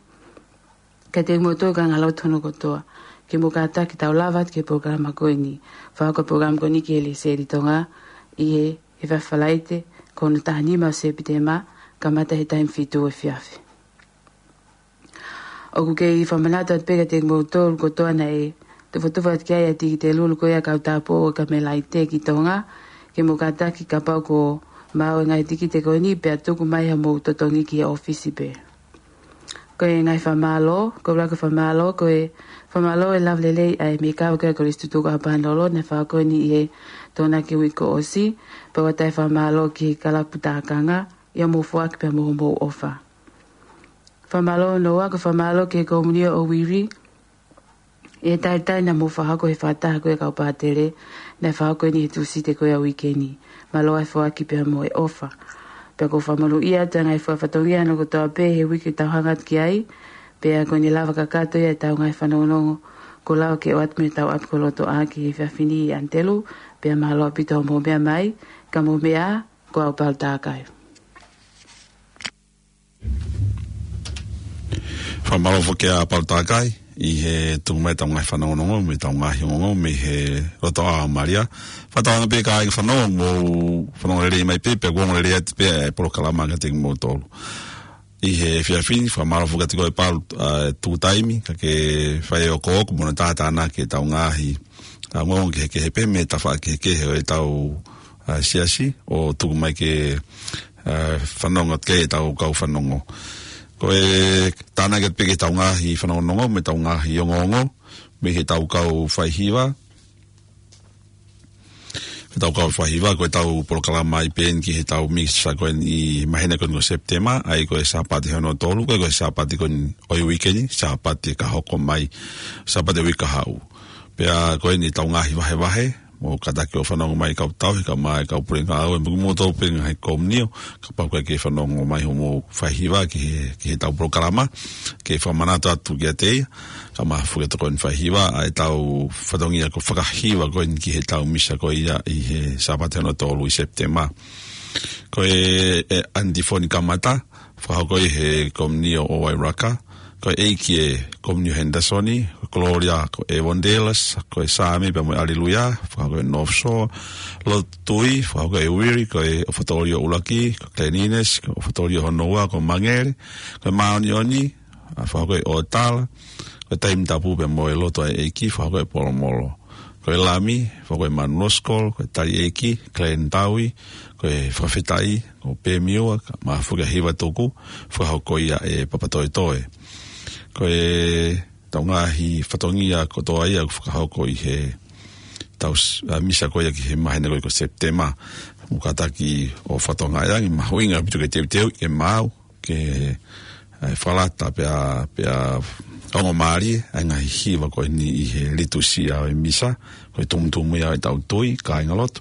kiate kimoutolu kāingalotu hono kotoa ke mou kātaki ke tau lava atu ki he polokalama ko eni. Fakahoko e polokalama ko eni ki he Lesieli Tonga ʻi he efiafi Falaite ko hono taha nima ʻo Sepitema, kamata he taimi fitu efiafi. ʻOku kei fakamanatu atu pē kiate kimoutolu kotoa naʻe tufatufa atu ki ai ʻa e tikite lulu ko ia ʻa e kau tāupoʻou ʻo e Kamelaite ki Tonga, ke mou kātaki kapau ʻoku maau e ngaahi tikite ko eni pea tuku mai haʻamou totongi ki he ʻōfisi pē. Ko e ngaahi fakamālō, ko e ʻuluaki fakamālō, ko e fakamālō e lava lelei ʻa e mekava ko ia ʻa e Kolisi Tutuku ʻa Panolo, naʻe fakahoko eni ʻi he Tokonaki uike kuo ʻosi, pea ʻoatu e fakamālō ki he kalapu tākanga, ʻi hoʻomou foaki pea mo hoʻomou ʻofa. Fakamālō hono ua, ko e fakamālō ki he Komunio ʻo Wiri, ʻi he talitali naʻa mou fakahoko he fakataha ko ia ʻa e kau pātele, naʻe fakahoko eni he Tūsite ko ia ʻo e uike ni. Mālō e foaki pea mo e ʻofa. Pea ʻoku ou fakamonūʻia atu e ngaahi fatongia hono kotoa pē he uike ʻoku tau hanga atu ki ai, pea ko eni lava kakato ia ʻetau ngaahi fanongonongo, kuo lava ke ʻoatu mei heʻetau ʻapi ko Lotoʻā ki he efiafi ni ʻAnitelū, pea mālō ʻaupito hoʻomou meʻa mai, ka mou meʻa ā, ko au Palu Takai. Fakamālō foki ʻa Palu Takai ʻi he tuku mai ʻetau ngaahi fanongonongo, mei heʻetau ngaahi ongoongo, mei he Lotoʻā ʻo Malia. Fakatauange pē kāinga fanongo, mou fanongo lelei mai pē, pea ʻoku ongo lelei atu pē e polokalama kiate kimoutolu. ʻI he efiafi ni, fakamālō foki atu ko e Palu, ʻa, tuku taimi, kae fai e okooko mo hono tātānaki ʻetau ngaahi, ʻa, ongoongo kehekehe pē mei he tafaʻaki kehekehe ʻo ʻetau, ʻa, siasi, ʻo tuku mai ke, ʻa, fanongo atu ki ai ʻetau kau fanongo. Ko e tānaki atu pē ki heʻetau ngaahi fanongonongo, mei heʻetau ngaahi ongoongo, mei heʻetau kau faihiva, heʻetau kau faihiva, ko ʻetau polokalama ʻi pē eni ki heʻetau misa ko eni ʻi he māhina ko eni ko Sepitema, ʻa ia ko e Sāpate hono tolu, ko e, ko e Sāpate ko eni ʻo e uike ni, Sāpate ka hoko mai, Sāpate uike kahaʻu. Pea ko eni ʻetau ngaahi vahevahe, mou kātaki ʻo fanongo mai kau tauhi, kae ʻumaʻā e kau puleʻanga ngāue, mo kimoutolu pē ngaahi komunio, kapau ʻoku ʻikai ke fanongo mai hoʻomou faihiva ki he, ki heʻetau polokalama, ke fakamanatu atu kiate ia, kae ʻumaʻā foki e tokoni faihiva, ʻa ʻetau fatongia ko e fakahiva ko eni ki heʻetau misa ko ia ʻi he Sāpate hono tolu ʻi Sepitema. Ko e, e antifoni kamata, fakahoko ʻi he Komunio ʻo Wairaka, ko e ʻEiki ʻa Komiunio Henderson, ko Gloria, ko e Evangelist, ko e Saame pea mo e Aleluia, fakahoko ʻe North Shore, Lotu Tui, fakahoko ʻe Uiri, ko e Ofatolio ʻUluaki, ko Cleanliness, ko e Ofatolio hono ua, ko Mangele, ko e Māʻoniʻoni, ʻa, fakahoko ʻe ʻOtala, ko e Taimi Tapu pea mo e Lotu ʻa e ʻEiki, fakahoko ʻe Polomolo. Ko e Lami, fakahoko ʻe Manu Loskol, ko e Tali ʻEiki, Glenn Taui, ko e Fakafetaʻi, ko Pemiua, kae ʻumaʻā foki ʻa Hiva Tuku, fakahoko ia ʻe Papatoetoe. Ko ʻetau ngaahi fatongia kotoa ia ʻoku fakahoko ʻi he tau s-, ʻa, misa ko ia ki he māhina ko ia ko Sepitema. Mou kātaki ʻo fatongia ange, mahuʻinga ʻaupito ke teuteu, ke maau, ke, ʻa, fakalata pea, pea ongo mālie ʻa e ngaahi hiva ko eni ʻi he litusia ʻo e misa, ko e tumutumu ia ʻetau tui, kāingalotu.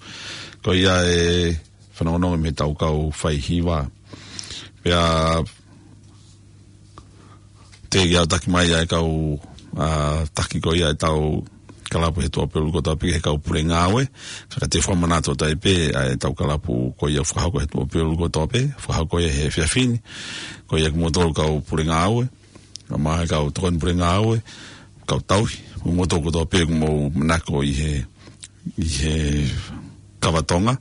Ko ia e fanongonongo mei heʻetau kau faihiva. Pea teʻeki ai ke taki mai ʻa e kau, ʻa, taki ko ia ʻetau kalapu he tuʻapulelulu kotoa pē ki he kau pule ngāue, ka ka te fakamanatu atu ai pē ʻa ʻetau kalapu ko ia fakahoko he tuʻapulelulu kotoa pē, fakahoko ia he efiafi ni, ko ia kimoutolu kau pule ngāue, kae ʻumaʻā e kau tokoni pule ngāue, kau tauhi, mo kimoutolu kotoa pē ʻoku mou manako ʻi he, ʻi he kava Tonga,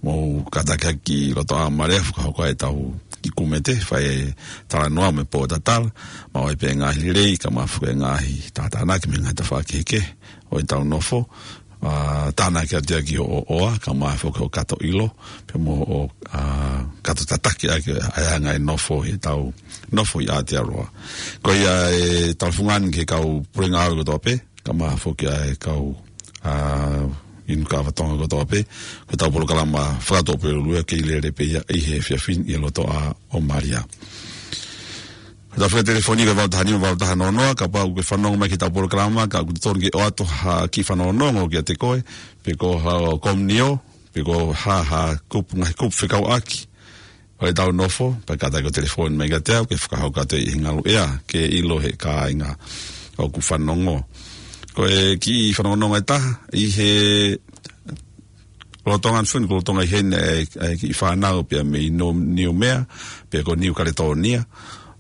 mou kātaki ʻi loto ʻa Marea, fakahoko ʻetau kiʻi kumete, fai e talanoa mo e pōtatala, maʻu ai pē ngaahi lelei, kae ʻumaʻā foki e ngaahi tātānaki mei he ngaahi tafaʻaki kehekehe ʻo ʻetau nofo, ʻa, tānaki atu ia ki hoʻo ʻoa, kae ʻumaʻā foki hoʻo kato ʻilo, pea mo hoʻo, ʻa, kato tataki ʻaki ʻa e anga e nofo ʻi heʻetau nofo ʻi Aotearoa. Ko ia ʻetau fungani ki he kau pule ngāue kotoa pē, kae ʻumaʻā foki ʻa e kau, ʻa, inu kava Tonga kotoa pē, ko ʻetau polokalama fakatuʻapulelulu ia kei lele pē ia ʻi he efiafi ni ʻi loto ʻa ʻOmalia. Ko ʻetau fika telefoni ko e valu taha nima valu taha noa noa, kapau ʻoku ke fanongo mai ki heʻetau polokalama, ka ʻoku totonu ke ʻoatu ha kiʻi fanongonongo kiate koe, pe ko ha komiunio, pe ko ha, ha kupu, ngaahi kupu fekauʻaki ʻo ʻetau nofo, pea kātaki ʻo telefoni mai kiate au, ke fakahoko atu ʻi he ngaluʻea, ke ʻilo ʻe he kāinga ʻoku fanongo. Ko e kiʻi fanongonongo ʻe taha, ʻi he lolotonga ni funi, ko e lolotonga ʻi heni ʻa e, ʻa e kiʻi fānau pea mei Niu-, Niumea, pea ko Niu Kaletonia,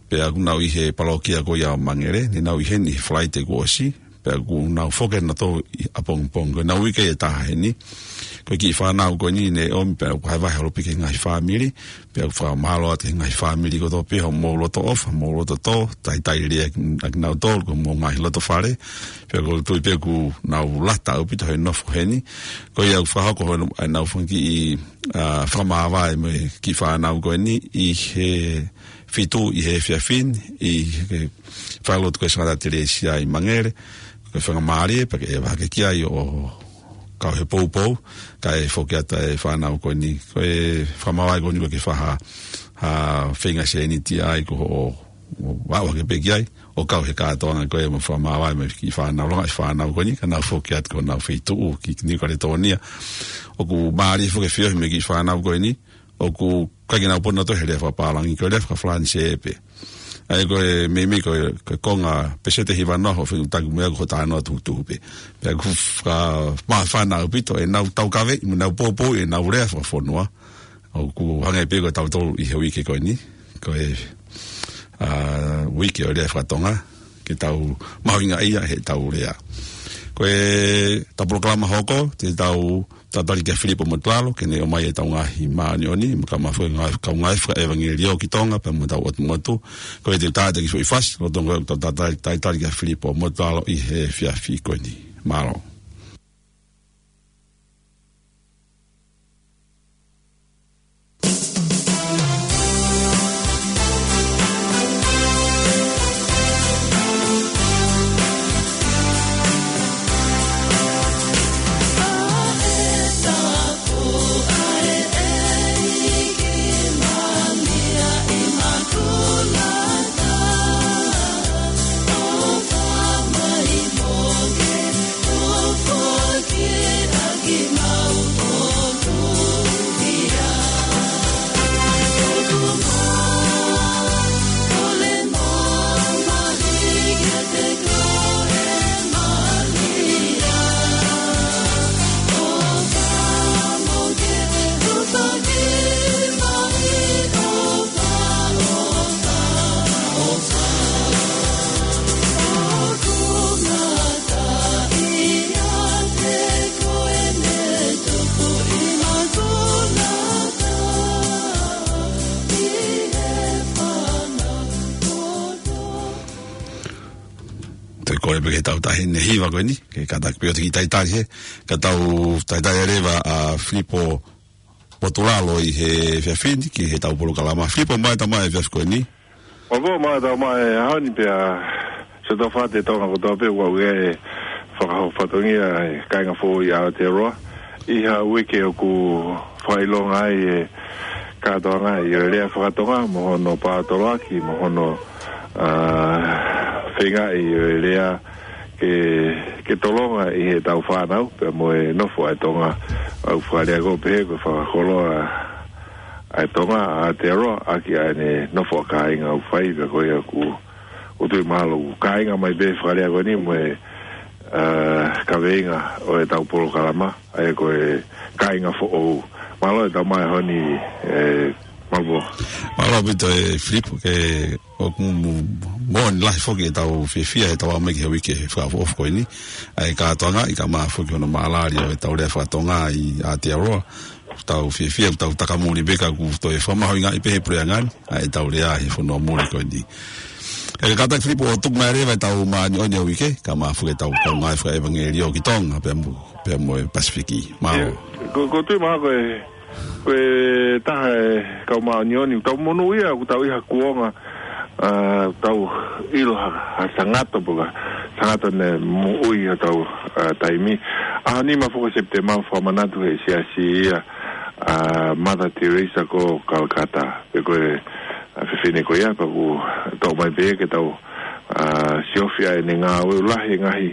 pea ʻoku nau ʻi he palokia ko ia ʻo Mangele, ne nau ʻi heni he Falaite kuo ʻosi, pea ʻoku nau foki atu ʻi ʻapongipongi, ko ʻenau uike ʻe taha heni. Ko e kiʻi fānau ko eni ne ʻomi pea ʻoku vahevahe holo pē ki he ngaahi fāmili, pea ʻoku fakamālō atu ki he ngaahi fāmili kotoa pē hoʻomou loto ʻofa, mou loto tō, talitali lelei ʻakinautolu, ko hoʻomou ngaahi loto fale, pea ʻoku ou tui pē ʻoku nau lata ʻaupito he nofo heni. Ko ia ʻoku fakahoko hono, ʻenau fanga kiʻi, ʻa, fakamāvae mo e kiʻi fānau ko eni ʻi he fitu ʻi he efiafi ni, ʻi he falelotu ko e Sangata Telesia ʻi Mangele, ko e faingamālie, pea ke ʻeva hake ki ai ʻo kau he poupou, kae foki atu e fānau ko eni, ko e fakamāvae ko eni ko e ke faha, ha feinga sēniti ai ko hoʻo, ʻo aʻu hake pē ki ai, ʻo kau he kātoanga ko e mo fakamāvae mo e kiʻi fānau, longaʻi fānau ko eni, ka nau foki atu ki honau feituʻu, ki Niu Kaletonia. ʻOku mālie foki e feohi mei he kiʻi fānau ko eni, ʻoku ʻikai ke nau pono atu he lea fakapālangi, ko e lea fakafalanisē pē. ʻA ia ko e meimei ko e, ko e konga pēseti ʻe hiva noa hoʻo fetuʻutaki mo ia ko hoʻo talanoa tuhutuhu pē. Pea ʻoku fakamāfana ʻaupito ʻenau taukaveʻi, mo ʻenau poupou, ʻenau lea fakafonua. ʻOku hangē pē ko tautolu ʻi he uike ko eni. Ko e, ʻa, uike ʻo e lea fakatonga, ke tau mahuʻingaʻia heʻetau lea. Ko ʻetau polokalama hoko, te tau talitali kia Filipo Motuʻalo, ke ne ʻomai ʻetau ngaahi māʻoniʻoni, mo e kau mafu ngaahi, kau ngaahi fakaʻevangeliō ki Tonga, pea mo ʻetau ʻotu motu. Ko ia te u tā atu e kiʻi foʻi fasi, lolotonga ko ʻetau talitali, talitali kia Filipo Motuʻalo ʻi he efiafi ko eni. Mālō. Pea pē ke tau tahi ne hiva ko eni, ke kātaki pē ʻo te ki talitali he, ka tau talitali leva ʻa Filipo Potulalo ʻi he efiafi ni ki heʻetau polokalama. Filipo, mālō e tau mai e efiafi ko eni. Mālō, mālō e tau mai e ʻaho ni pea, Siaosi Taufaʻāhau Tonga kotoa pē, ʻoku ʻi ai e fakahoko fatongia e kāinga foʻou ʻi Aotearoa. ʻI ha uike ʻoku fakaʻilonga ai e kātoanga ʻi he lea fakatonga, mo hono paotoloaki, mo hono, ā, feingaʻi ʻo e lea ke, ke tolonga ʻi heʻetau fānau, pea mo e nofo ʻa e Tonga, ʻoku fakalea ko ē pehē ko e fakakoloa ʻa e Tonga ʻa Aotearoa, ʻaki ʻa ʻene nofo ʻa kāinga ʻoku fai, pea ko ia ʻoku, ʻoku tui mahalo ʻoku kāinga mai pē fakalea ko eni mo e, ā, kaveinga ʻo ʻetau polokalama, ʻa ia ko e kāinga foʻou. Mālō e tau mai e ʻaho ni, ē, Mālō. Mālō ʻaupito e Filipo, ke ʻoku mo, mo, moʻoni lahi foki ʻetau fiefia, ʻetau aʻu mai ki he uike fakaʻofoʻofa ko eni. ʻA e kātoanga, ʻi ka mā foki hono mālali ʻo ʻetau lea fakatonga ʻi Aotearoa. Tau fiefia, tau takamuli pē ka ʻoku toe fakamahuʻingaʻi pē he puleʻanga ni ʻa ʻetau lea he fonua muli ko eni. ʻE kātaki Filipo ʻo tuku mai leva ʻetau māʻoniʻoni ʻo e uike, ka mā foki ʻetau kaungā fakaʻevangeliō ki Tonga, pea mo, pea mo e Pasifiki. Mālō. ʻIo, ko, ʻoku ou tui mahalo ko e, ko e taha e kau māʻoniʻoni, tau monūʻia, ʻoku tau ʻi ha kuonga, ā, tau ʻilo ha, ha sangato pe ko ha sangato ne moʻui ʻi hotau, ā, taimi. ʻAho nima foki ʻo Sepitema, fakamanatu ʻe he Siasi ia ʻa Mother Teresa ko Calcutta. Pea ko e, ā, fefine ko ia, pea ʻoku toʻo mai pē ke tau, ā, siofi ʻa ʻene ngāue. ʻOku lahi e ngaahi,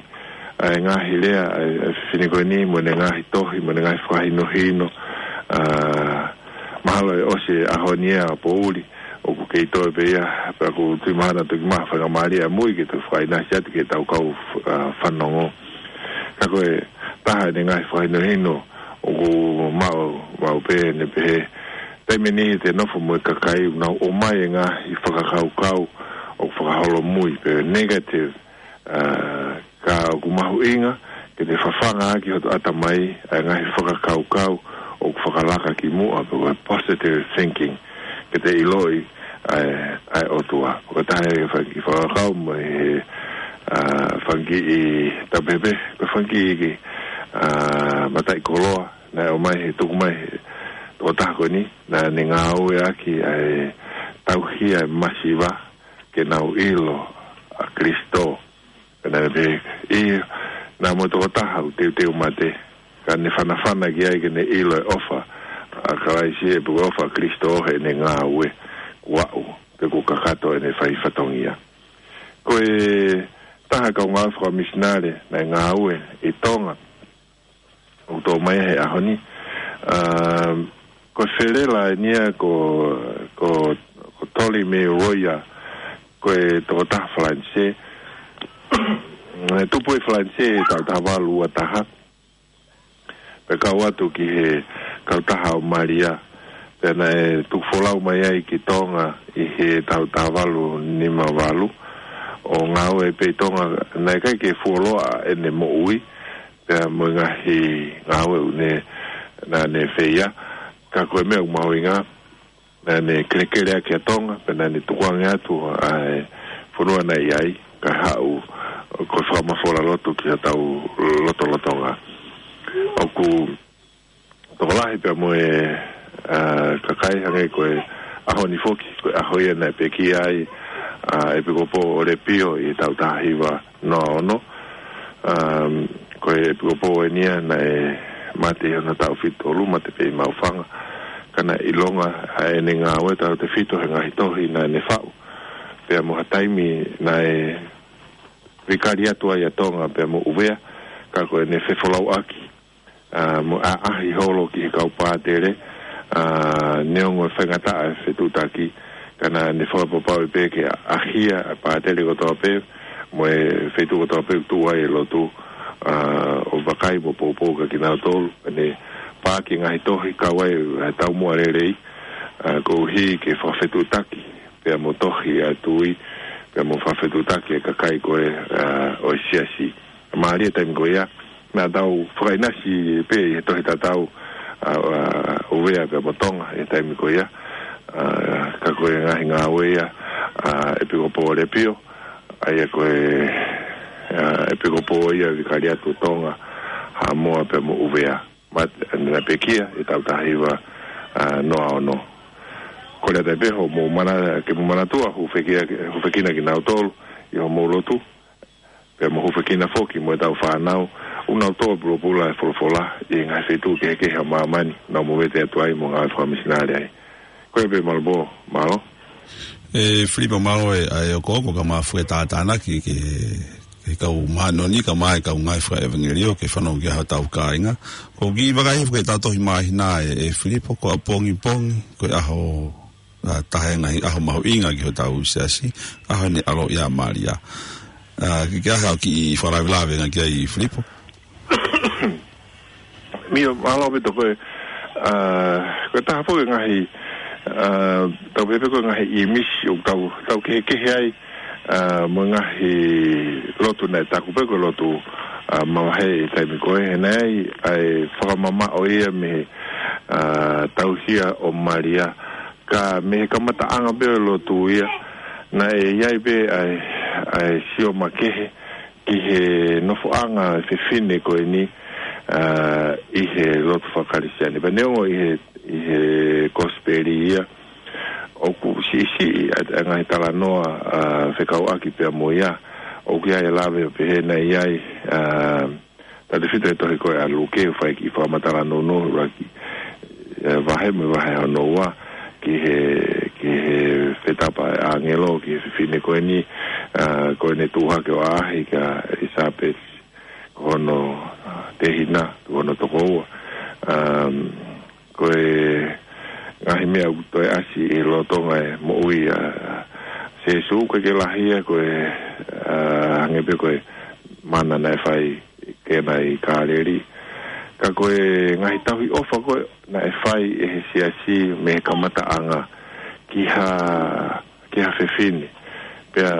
ʻa e ngaahi lea ʻa e, ʻa e fefine ko eni, mo ʻene ngaahi tohi, mo ʻene ngaahi fakahinohino, ā, mahalo ʻe ʻosi e ʻaho ni ʻa e poʻuli, ʻoku kei toe pē ia, pea ʻoku ou tui mahalo naʻa toki maʻu ha faingamālie ʻamui ke toe fakaʻinasi atu ki heʻetau kau, ā, fanongo. Ka ko e taha ʻene ngaahi fakahinohino ʻoku ou maʻu, maʻu pē ʻene pehē, taimi ʻe niʻihi te nofo mo e kakai ʻoku nau ʻomai e ngaahi fakakaukau ʻoku fakaholomui pe negative, ā, ka ʻoku mahuʻinga ke te fafanga ʻaki hoto ʻatamai ʻa e ngaahi fakakaukau ʻoku fakalaka ki muʻa pe ko e positive thinking, ke te ʻiloʻi ʻa e, ʻa e ʻOtua. Ko e taha e fanga kiʻi fakakaukau mo e, ā, fanga kiʻi tapepe, pe fanga kiʻi, ā, mataʻikoloa naʻe ʻomai he tuku mai he tokotaha ko eni, naʻa ne ngāueʻaki ʻa e tauhi ʻa e masiva ke nau ʻilo ʻa Kalaisi. Pea naʻa ne pehē, ʻio, naʻa mo e tokotaha ʻoku teuteu mate, ka ne fanafana ki ai ke ne ʻilo e ʻofa ʻa Kalaisi, ē, pe ko e ʻofa ʻa Kalaisi ʻi heʻene ngāue, kuo aʻu, pe kuo kakato ʻene fai fatongia. Ko e taha kau ngāue fakamisinale naʻe ngāue ʻi Tonga, ʻoku toʻo mai he ʻaho ni. Um, ko e felela eni ia ko, ko, ko Tolly Roya, ko e tokotaha Falanisē. ʻE tupu ʻi Falanisē he taʻu taha valu ua taha. Pea kau atu ki he kautaha ʻo Malia. Pea naʻe tuku folau mai ai ki Tonga ʻi he taʻu taha valu nima valu. ʻO ngāue pē ʻi Tonga, naʻe ʻikai ke fuoloa ʻene moʻui, pea mo e ngaahi ngāue ʻoku ne, naʻa ne fai ia, ka ko e meʻa ʻoku mahuʻinga, naʻa ne kelekeleʻaki ʻa Tonga, pea naʻa ne tukuange atu ʻa e fonua naʻe ʻi ai, kae haʻu ko e fakamafola lotu ki hotau lotolotonga. ʻOku tokolahi pea mo e, ā, kakai hangē ko e ʻaho ni foki, ko e ʻaho ia naʻe pekia ai ʻa e ʻEpikopō ʻo Lepio ʻi he taʻu taha hiva noa ono. Um, ko e ʻEpikopō eni ia naʻe mate ʻi hono taʻu fitu tolu, mate pē ʻi Maʻufanga. Ka naʻe ʻilonga ʻa ʻene ngāue tautautefito he ngaahi tohi naʻa ne faʻu. Pea mo ha taimi naʻe vikari atu ai ʻa Tonga pea mo ʻUvea, ka ko ʻene fefolauʻaki, ā, mo e ʻaʻahi holo ki he kau pātele, ā, neongo e faingataʻa e fetuʻutaki, ka naʻa ne fakapapauʻi pē ke ʻahia ʻa e pātele kotoa pē, mo e feituʻu kotoa pē ʻoku tuʻu ai e lotu, ā, ʻo vakai mo poupou kia kinautolu, ʻene paaki e ngaahi tohi kau ai e taumuʻa lelei, ā, koeʻuhi ke fakafetuʻutaki pea mo tohi ʻa e tui, pea mo fakafetuʻutaki e kakai ko ē, ā, ʻo e siasi. Mālie taimi ko ia, naʻa tau fakaʻinasi pē ʻi he tohi tatau, ā, ʻa ʻUvea pea mo Tonga ʻi he taimi ko ia, ā, ka ko e ngaahi ngāue ia ʻa e ʻEpikopō Lepio, ʻa ia ko e ʻa, ʻEpikopō ia, Vikariatu Tonga, Haʻamoa pea mo ʻUvea. Mate, naʻe pekia ʻi he taʻu taha hiva, ʻa, noa ono. Kole atu pē hoʻomou mana-, ke mou manatua, hūfekina, hūfekina kinautolu ʻi hoʻomou lotu, pea mo hūfekina foki mo ʻetau fānau, ʻoku nau tō pulopula e folofola ʻi he ngaahi feituʻu kehekehe ʻo māmani, nau movete atu ai mo ngāue fakamisinale ai. Ko ia pē, mālō Pō, mālō. ʻE Filipo, mālō e, ʻa e okooko kae maʻu e tātānaki ki he, ki he kau māʻoniʻoni kae maʻu e kau ngāue fakaʻevangeliō ke fanongo ki ai hotau kāinga. ʻOku ou kiʻi vakai hifo ki heʻetau tohi māhina ʻe, ʻe Filipo, ko ʻapongipongi, ko e ʻaho, ʻa, taha e ngaahi ʻaho mahuʻinga ki hotau siasi, ʻaho ʻene ʻaloʻi ʻa Malia. ʻA, ke, ke ʻai haʻo kiʻi fakalavelave ange ki ai Filipo. ʻIo, mālō ʻaupito. Ko e, ʻa, ko e taha foki e ngaahi, ʻa, tau pehē pē ko e ngaahi ʻīmisi ʻoku tau, tau kehekehe ai, ʻa, mo e ngaahi lotu naʻe taku pē ko e lotu, ʻa, mavahe ʻi he taimi ko ē, he naʻe ʻi ai ʻa e fakamamaʻo ia mei he, ʻa, tauhi ʻo Malia. Ka mei he kamataʻanga pē ʻo e lotu ia, naʻe ʻi ai pē ʻa e, ʻa e sio makehe ki he nofoʻanga ʻo e fefine ko eni, ʻa, ʻi he lotu fakakalisitiane. Pea neongo ʻi he, ʻi he kosipeli ia, ʻoku siʻisiʻi ʻa e, ʻa e ngaahi talanoa, ʻa, fekauʻaki pea mo ia, ʻoku ʻi ai e lave ʻo pehē naʻe ʻi ai, ʻa, tautefito he tohi ko ē ʻa Luke, ʻoku fai e kiʻi fakamatala nounou, ʻuluaki, ʻe, vahe mo e vahe hono ua, ki he, ki he fetapa ʻa e ʻāngelo ki he fefine ko eni, ʻa, ko ʻene tuʻu hake ʻo ʻaʻahi kia ʻIlisapesi, ko hono, ʻa, tehina, ko hono tokoua. Um, ko e ngaahi meʻa ʻoku toe ʻasi ʻi he lolotonga e moʻui ʻa Sīsū, ʻoku ʻikai ke lahi ia, ko e, ʻa, hangē pē ko e mana naʻe fai ki heʻena ʻi Kāleli. Ka ko e ngaahi tauhi ʻofa ko ē naʻe fai ʻe he siasi mei he kamataʻanga ki ha, ki ha fefine. Pea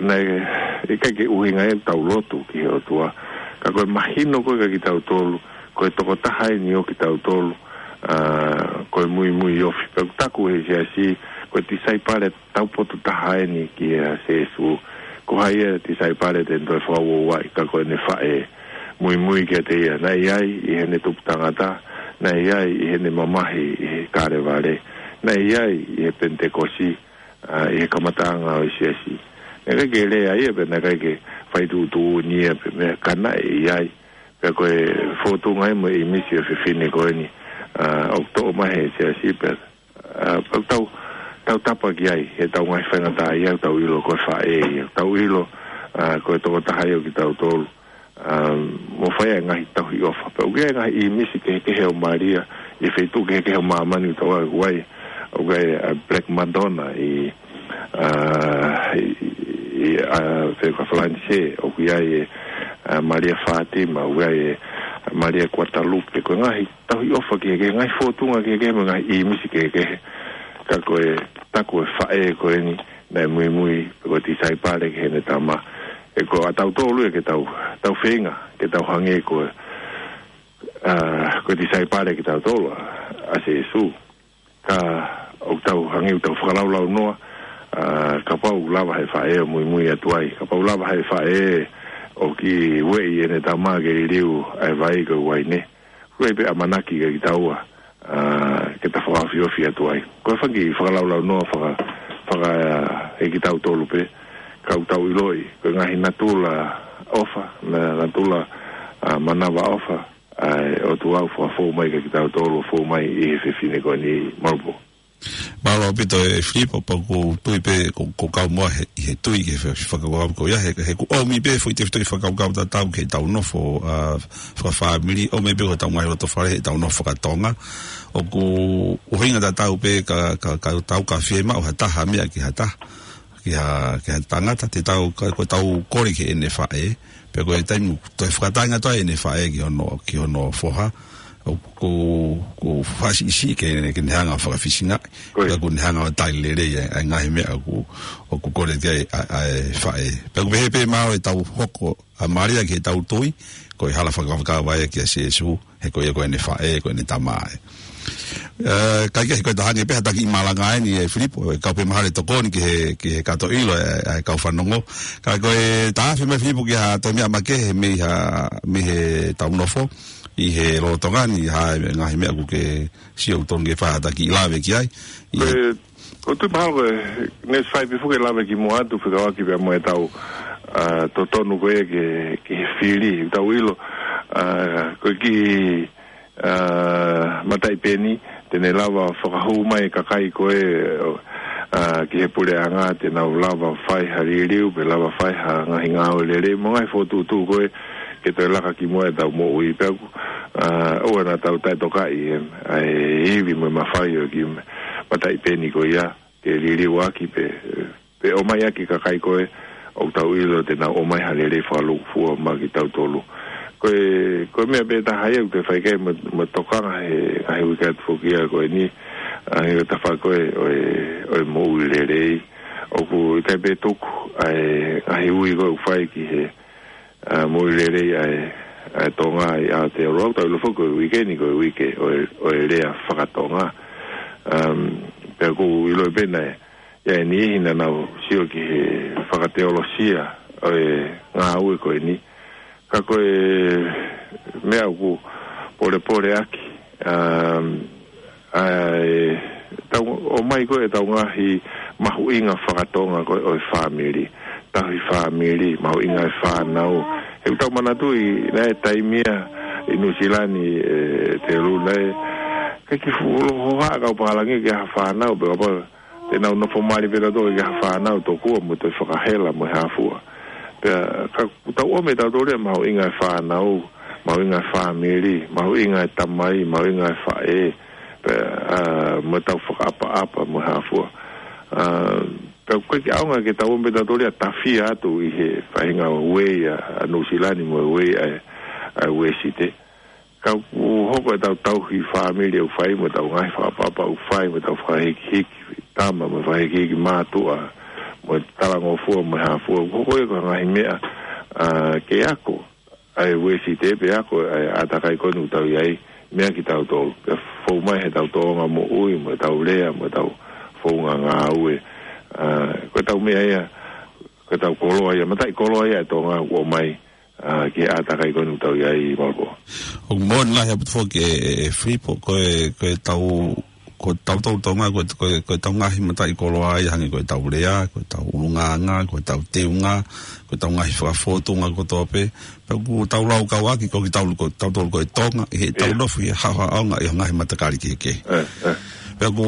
naʻe ʻikai ke ʻuhinga ia ʻetau lotu ki he ʻOtua. Ka ko e mahino ko ē kia kitautolu, ko e tokotaha eni ʻo kitautolu, ʻa, ko e muimui ofi. Pea ʻoku taku ʻe he siasi, ko e tisaipale taupotu taha eni kia Sīsū. Ko hai e tisaipale te ne toe fakauouaʻi ka ko ʻene faʻē? Muimui kiate ia. Naʻe ʻi ai ʻi heʻene tupu tangata, naʻe ʻi ai ʻi heʻene mamahi ʻi Kalevale, naʻe ʻi ai ʻi he Penitekosi, ʻa, ʻi he kamataʻanga ʻo e siasi. Naʻe ʻikai ke lea ia pea naʻe ʻikai ke fai tuʻutuʻuni ia pe meʻa, ka naʻe ʻi ai. Pea ko e fōtunga ia mo e ʻīmisi ʻo e fefine ko eni, ʻa, ʻoku toʻo mai ʻe he siasi pea, ʻa, pea tau, tau tapa ki ai, heʻetau ngaahi faingataʻaʻia, tau ʻilo ko e faʻē ia, tau ʻilo, ʻa, ko e tokotaha ia ʻo kitautolu, ʻa, mo fai e ngaahi tauhi ʻofa. Pea ʻoku ʻi ai e ngaahi ʻīmisi kehekehe ʻo Malia ʻi he feituʻu kehekehe ʻo māmani, ʻoku tau ʻai, ʻoku ʻi ai, ʻoku ʻi ai, ʻa, Black Madonna ʻi, ʻa, ʻi, ʻi, ʻa, Fekafalanisē, ʻoku ʻi ai e, ʻa, Malia Fātima, ʻoku ʻi ai e, ʻa, Malia Kuatalupe. Ko e ngaahi tauhi ʻofa kehekehe, ngaahi fōtunga kehekehe mo e ngaahi ʻīmisi kehekehe. Ka ko e taku ʻe he faʻē ko eni naʻe muimui, pe ko e tisaipale ki heʻene tama. Ē, ko ʻatautolu ia ke tau, tau feinga ke tau hangē ko e, ʻa, ko e tisaipale kitautolu ʻa, ʻa Sīsū. Ka ʻoku tau hangē ʻoku tau fakalaulaunoa, ʻa, kapau ʻoku lava ʻe he faʻē ʻo muimui atu ai, kapau ʻoku lava ʻe he faʻē ʻo kiʻi ueʻi ʻene tama ke liliu ʻa e vai ko e uaine, ʻoku ʻi ai pē ʻamanaki kia kitaua, ʻa, ke ta fakaofiofi atu ai. Ko e fanga kiʻi fakalaulaunoa faka-, faka-, ʻe kitautolu pē, ka ʻoku tau ʻiloʻi ko e ngaahi natula ʻofa, na-, natula, ʻa, manavaʻofa ʻa e ʻOtua ʻoku fakafou mai kia kitautolu, fou mai ʻi he fefine ko eni, mālō Pō. Mālō ʻaupito ʻe Filipo, pea ʻoku ou tui pē ko, ko e kau moa he, he tui ki he fe-, fakakaukau ko ia, he, he ʻoku ʻomi pē foʻi tefitoʻi fakakaukau tatau ki heʻetau nofo, ʻa, fakafāmili, ʻomi pē ko ʻetau ngaahi loto fale, heʻetau nofo fakatonga. ʻOku ʻuhinga tatau pē ka, ka, ka tau ka fiemaʻu ha taha meʻa ki ha taha, ki ha, ki ha tangata, te tau, ka, ko ʻetau kole ki heʻene faʻē, pea ko e taimi toe fakatainga toe ʻene faʻē ki hono, ki hono foha, ʻoku, ʻoku fasiʻisiʻi ke, ke ne hanga ʻo fakafisingaʻi, Ko ia. Ka ʻoku ne hanga ʻo tali lelei ʻa e, ʻa e ngaahi meʻa ʻoku, ʻoku kole ki ai ʻa, ʻa e faʻē. Pea ʻoku pehē pē mālō ʻetau hoko ʻa Malia ki heʻetau tui, ko e hala fakakaukau ia kia Sīsū, he ko ia ko ʻene faʻē, ko ʻene tama ē. ʻE, ka ʻikai ko e taha ange pē ha taki malanga eni ʻe Filipo, ʻe kau pē mahalo ʻe tokoni ki he, ki he kato ʻilo ʻe, ʻe kau fanongo. Ka ko e taha afe mai Filipo ki ha toe meʻa makehe mei ha, mei he tau nofo, ʻi he lolotonga ni ha ngaahi meʻa ʻoku ke sio ʻoku tonu ke fai ha taki lave ki ai. ʻI Ko e, ko tu mahalo ko e, ne fai pē foki e lave ki muʻa atu fekauʻaki pea mo e tau, ʻa, totonu ko e ke, ke fili, tau ʻilo, ʻa, ko e ki, ʻa, Mataʻi Peni, te ne lava fakahū mai e kakai ko e, ʻa, ki he puleʻanga, te nau lava fai ha liliu, pe lava fai ha ngaahi ngāue lelei, mo e ngaahi fokotuʻutuʻu ko e, ke toe laka ki muʻa e tau moʻui pea ʻoku, ʻa, ʻoua naʻa tau taʻetokaʻi e, ʻa e ivi mo e mafai ʻo e ki Mataʻi Peni ko ia, ke liliu ʻaki pē, pē ʻomai ʻaki kakai ko e, ʻoku tau ʻilo te nau ʻomai ha lelei fakalūkufua maʻa kitautolu. Ko e, ko e meʻa pē taha ia ʻoku te fai ki ai mo, mo tokanga he, ʻa he uike atu foki ia ko eni, ʻa e tafa ko e, ʻo e, ʻo e moʻui lelei. ʻOku ʻikai pē tuku, ʻa e, ʻa e ui ko e ʻoku fai ki he, ʻa, moʻui lelei ʻa e, ʻa e Tonga ʻi Aotearoa, tau ʻilo foki ko e uike ni ko e uike ʻo e, ʻo e lea fakatonga. Um, pea ʻoku ʻilo pē naʻe, ʻi ai e niʻihi naʻa nau sio ki he fakateolosia ʻo e ngāue ko eni. Ka ko e meʻa ʻoku polepole ʻaki, um, ʻa e, tau, ʻomai ko e tau ngaahi mahuʻinga fakatonga ko e ʻo e fāmili, tauhi fāmili, mahuʻinga e fānau. He ʻoku tau manatuʻi naʻe taimi ia ʻi Nuʻusila ni ʻe Telu naʻe, ʻikai ke fuʻu hohaʻa kau pālangi ki ha fānau, pea kapau te nau nofo mali pē tautolu ki ha fānau tokua mo toe fakahela mo e hā fua. Pea ka ʻoku tau ʻomai tautolu ia mahuʻinga e fānau, mahuʻinga e fāmili, mahuʻinga e tamai, mahuʻinga e faʻē, pea, ʻa, mo e tau fakaʻapaʻapa mo e hā fua. ʻA, pea ʻoku ʻikai ke ʻaonga ke tau ʻomai tautolu ia tafia atu ʻi he faʻahinga uei ʻa, ʻa Nuʻusila ni mo e uei ʻa, ʻa Uēsite. Ka ʻoku hoko e tau tauhi fāmili ʻoku fai, mo e tau ngaahi fakaʻapaʻapa ʻoku fai, mo e tau fakahikihiki tama, mo e fakahikihiki mātuʻa, mo e talangofua, mo e hā fua. ʻOku hoko ia ko e ngaahi meʻa, ʻa, ke ako ʻa e Uēsite, pe ako ʻa e ʻātakai ko eni ʻoku tau ʻi ai, meʻa kitautolu. Pea fou mai he tau tōʻonga moʻui, mo e tau lea, mo e tau founga ngāue. ʻA, ko e tau meʻa ia, ko e tau koloa ia, mataʻikoloa ia ʻa e Tonga ʻoku ʻomai, ʻa, ki he ʻātakai ko eni ʻoku tau ʻi ai, Malapō. ʻOku moʻoni lahi ʻaupito foki ʻe, ʻe, ʻe Filipo, ko e, ko e tau, ko e tau tau Tonga, ko e, ko e, ko e tau ngaahi mataʻikoloa ia hangē ko e tau lea, ko e tau ʻulungaanga, ko e tau teunga, ko e tau ngaahi fakafōtunga kotoa pē. Pea ʻoku tau laukau ʻaki, ko kitautolu ko, tautolu ko e Tonga, ʻi he tau ʻIo. nofo ʻi he haʻohaʻonga ʻi he ngaahi matakali kehekehe. ʻE, ʻe. Pea ʻoku,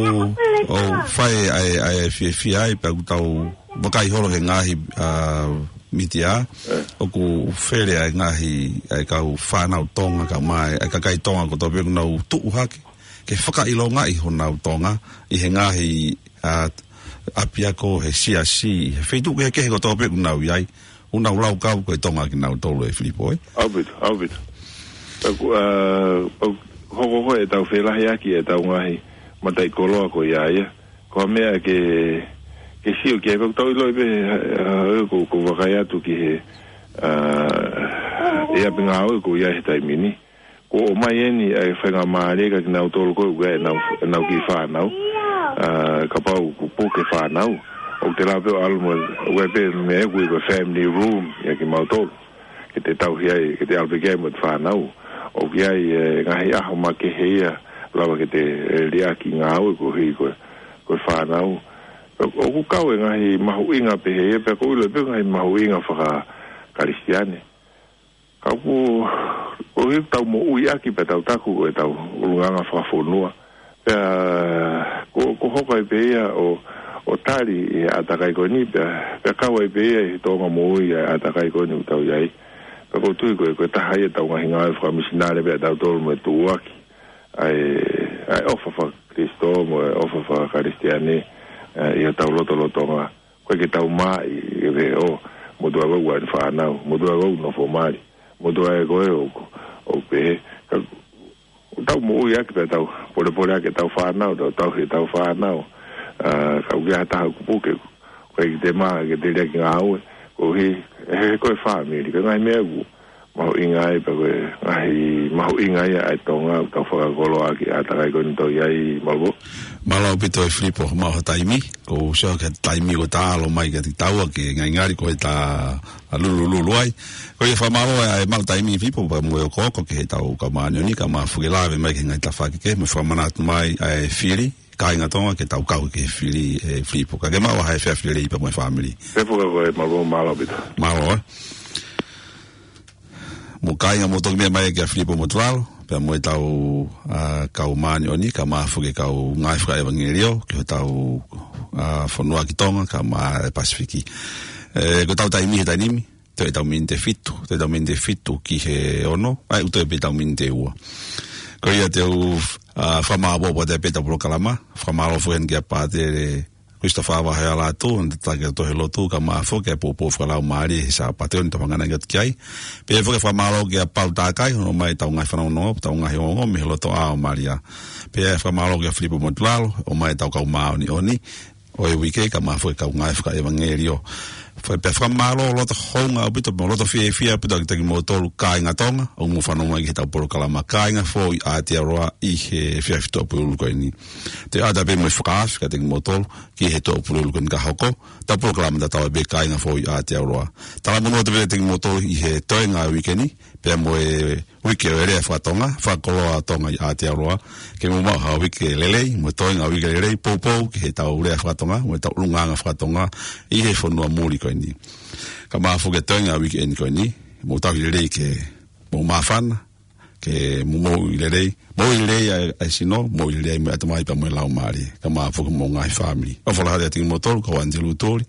ʻoku fai ʻa e, ʻa e fiefia ai, pea ʻoku tau vakai holo he ngaahi, ʻa, mītia, ʻoku fele ʻa e ngaahi, ʻa e kau fānau Tonga, kau mai, ʻa e kakai Tonga kotoa pē ʻoku nau tuʻu hake, ke fakaʻilongaʻi honau Tonga, ʻi he ngaahi, ʻa, ʻapiako, he siasi, he feituʻu kehekehe kotoa pē ʻoku nau ʻi ai, ʻoku nau laukau ko e Tonga kinautolu ʻe Filipo, ē? ʻAupito, ʻaupito. Pea ʻoku, ʻa, ʻoku hoko ko e tau felahiʻaki e tau ngaahi mataʻikoloa ko ia ia. Ko e meʻa ke, ke sio ki ai pea ʻoku tau ʻiloʻi pē, ʻa, ʻoku, ʻoku vakai atu ki he, ʻa, ʻi ʻapi ngāue ʻoku ʻi ai he taimi ni. ʻOku ʻomai eni ʻa e faingamālie kia kinautolu ko ē ʻoku ʻi ai ʻenau, ʻenau kiʻi fānau. ʻA, kapau ʻoku puke fānau, ʻoku te lava pē ʻo ʻalu mo, ʻoku ʻi ai pē meʻa ʻoku ui ko e family room ia kimautolu. Ke te tauhi ai, ke te ʻalu pē ki ai mo e fānau. ʻOku ʻi ai e ngaahi ʻaho makehe ia, lava ke te, ʻe, liʻaki ngāue koeʻuhi ko e, ko e fānau. ʻOku kau e ngaahi mahuʻinga pehē ia, pea ʻoku ou ʻilo pē ngaahi mahuʻinga faka-Kalisitiane. Ka ʻoku, ʻoku ʻi ai e tau moʻui ʻaki pea tau taku ko e tau ʻulungaanga fakafonua. Pea, ʻoku, ʻoku hoko ai pē ia ʻo, ʻo tali ʻe he ʻātakai ko eni, pea, pea kau ai pē ia ʻi he tōʻonga moʻui ʻa e ʻātakai ko eni ʻoku tau ʻi ai. Pea ʻoku ou tui ko e, ko e taha ia e tau ngaahi ngāue fakamisinale pea tautolu mo e tuʻuaki ʻa e, ʻa e ʻofa faka-Kalisitiane mo e ʻofa faka-Kalisitiane, ʻa, ʻi hotau lotolotonga. ʻOku ʻikai ke tau maʻi, ʻe pehē ʻo, motuʻa ʻoku ʻi ai ʻene fānau, motuʻa ʻoku nofo mali, motuʻa ʻoku ʻi ai ʻoku, ʻoku pehē, ka, ʻoku tau moʻui ʻaki pea tau, polepole ʻaki e tau fānau, tau, tauhi e tau fānau, ʻa, ka ʻoku ʻi ai ha taha ʻoku puke, ʻoku ʻikai ke te mā, ke te liʻaki ngāue, koeʻuhi, he, ko e fāmili, ko e ngaahi meʻa ʻoku, Mahuʻinga ai pea ko e ngaahi mahuʻinga ia ʻa e Tonga, ʻoku tau fakakoloa ʻaki ʻa e takai ko eni tau ʻi ai, Malavou. Mālō ʻaupito ʻe Filipo, maʻu ha taimi, ko u sio ki he taimi ko ē ʻoku ta ʻalu mai ki he taua ke ngaingali ko e ta lulululu ai. Ko ia fakamālō ʻa e maʻu taimi Filipo, pea mo e okooko ki he tau kau māʻoniʻoni, kae ʻumaʻā foki e lave mai ki he ngaahi tafaʻaki kehe, mo fakamanatu mai ʻa e fili, kāinga Tonga ke tau kau ki he fili ʻe Filipo. Ka ke maʻu ha efiafi lelei pea mo e fāmili. Pea foki ko e Malavou, mālō ʻaupito. Mālō, ē. Mo e kāinga mo toki meʻa mai kia Filipo Motulalo, pea mo e tau, ā, kau māʻoniʻoni, kae ʻumaʻā foki e kau ngāue fakaʻevangeliō, ki he tau, ā, fonua ki Tonga, kae ʻumaʻā e Pasifiki. Ē, ko e tau taimi he taimi ni, toe tau miniti ʻe fitu, toe tau miniti ʻe fitu ki he ono, ʻa ia ʻoku toe pē tau miniti ʻe ua. Ko ia te u, ā, fakamālō ʻaupito pē tau polokalama, fakamālō foki heni kia Pātele Christopher Vahealatu, ʻa e tataki ʻa e tohi lotu, kae ʻumaʻā foki e poupou fakalaumālie he Sāpate ni ʻoku tau hanganaki atu ki ai. Pea foki fakamālō kia Paul Takai, hono ʻomai e tau ngaahi fanongonongo, tau ngaahi ongoongo, mei he loto ʻa ʻo Malia. Pea fakamālō kia Filipo Motulalo, ʻomai e tau kau māʻoniʻoni ʻo e uike, kae ʻumaʻā foki e kau ngāue fakaʻevangeliō. Fa-, pea fakamālō loto hounga ʻaupito, mo loto fiefia ʻaupito kiate kimoutolu kāinga Tonga, ʻoku mou fanongo mai ki he tau polokalama, Kāinga Foʻou ʻi Aotearoa ʻi he efiafi Tuʻapulelulu ko eni. Te u ʻoatu pē mo e fakaafe kiate kimoutolu, ki he Tuʻapulelulu ko eni ka hoko, tau polokalama tatau ai pē Kāinga Foʻou ʻi Aotearoa. Talamonū atu pē kiate kimoutolu ʻi he toenga uike ni, pea mo e uike ʻo e lea fakatonga, fakakoloa Tonga ʻi Aotearoa, ke mou maʻu ha uike lelei, mo e toenga uike lelei, poupou ki he tau lea fakatonga, mo e tau ʻulungaanga fakatonga, ʻi he fonua muli ko eni. Kae ʻumaʻā foki e toenga uike eni ko eni, mou tauhi lelei ke mou māfana, ke mou moʻui lelei, moʻui lelei ʻa e, ʻa e sino, moʻui lelei mo e ʻatamai pea mo e laumālie, kae ʻumaʻā foki mo e ngaahi fāmili. ʻOfa lahi atu kiate kimoutolu, ko Antilutu Tuli,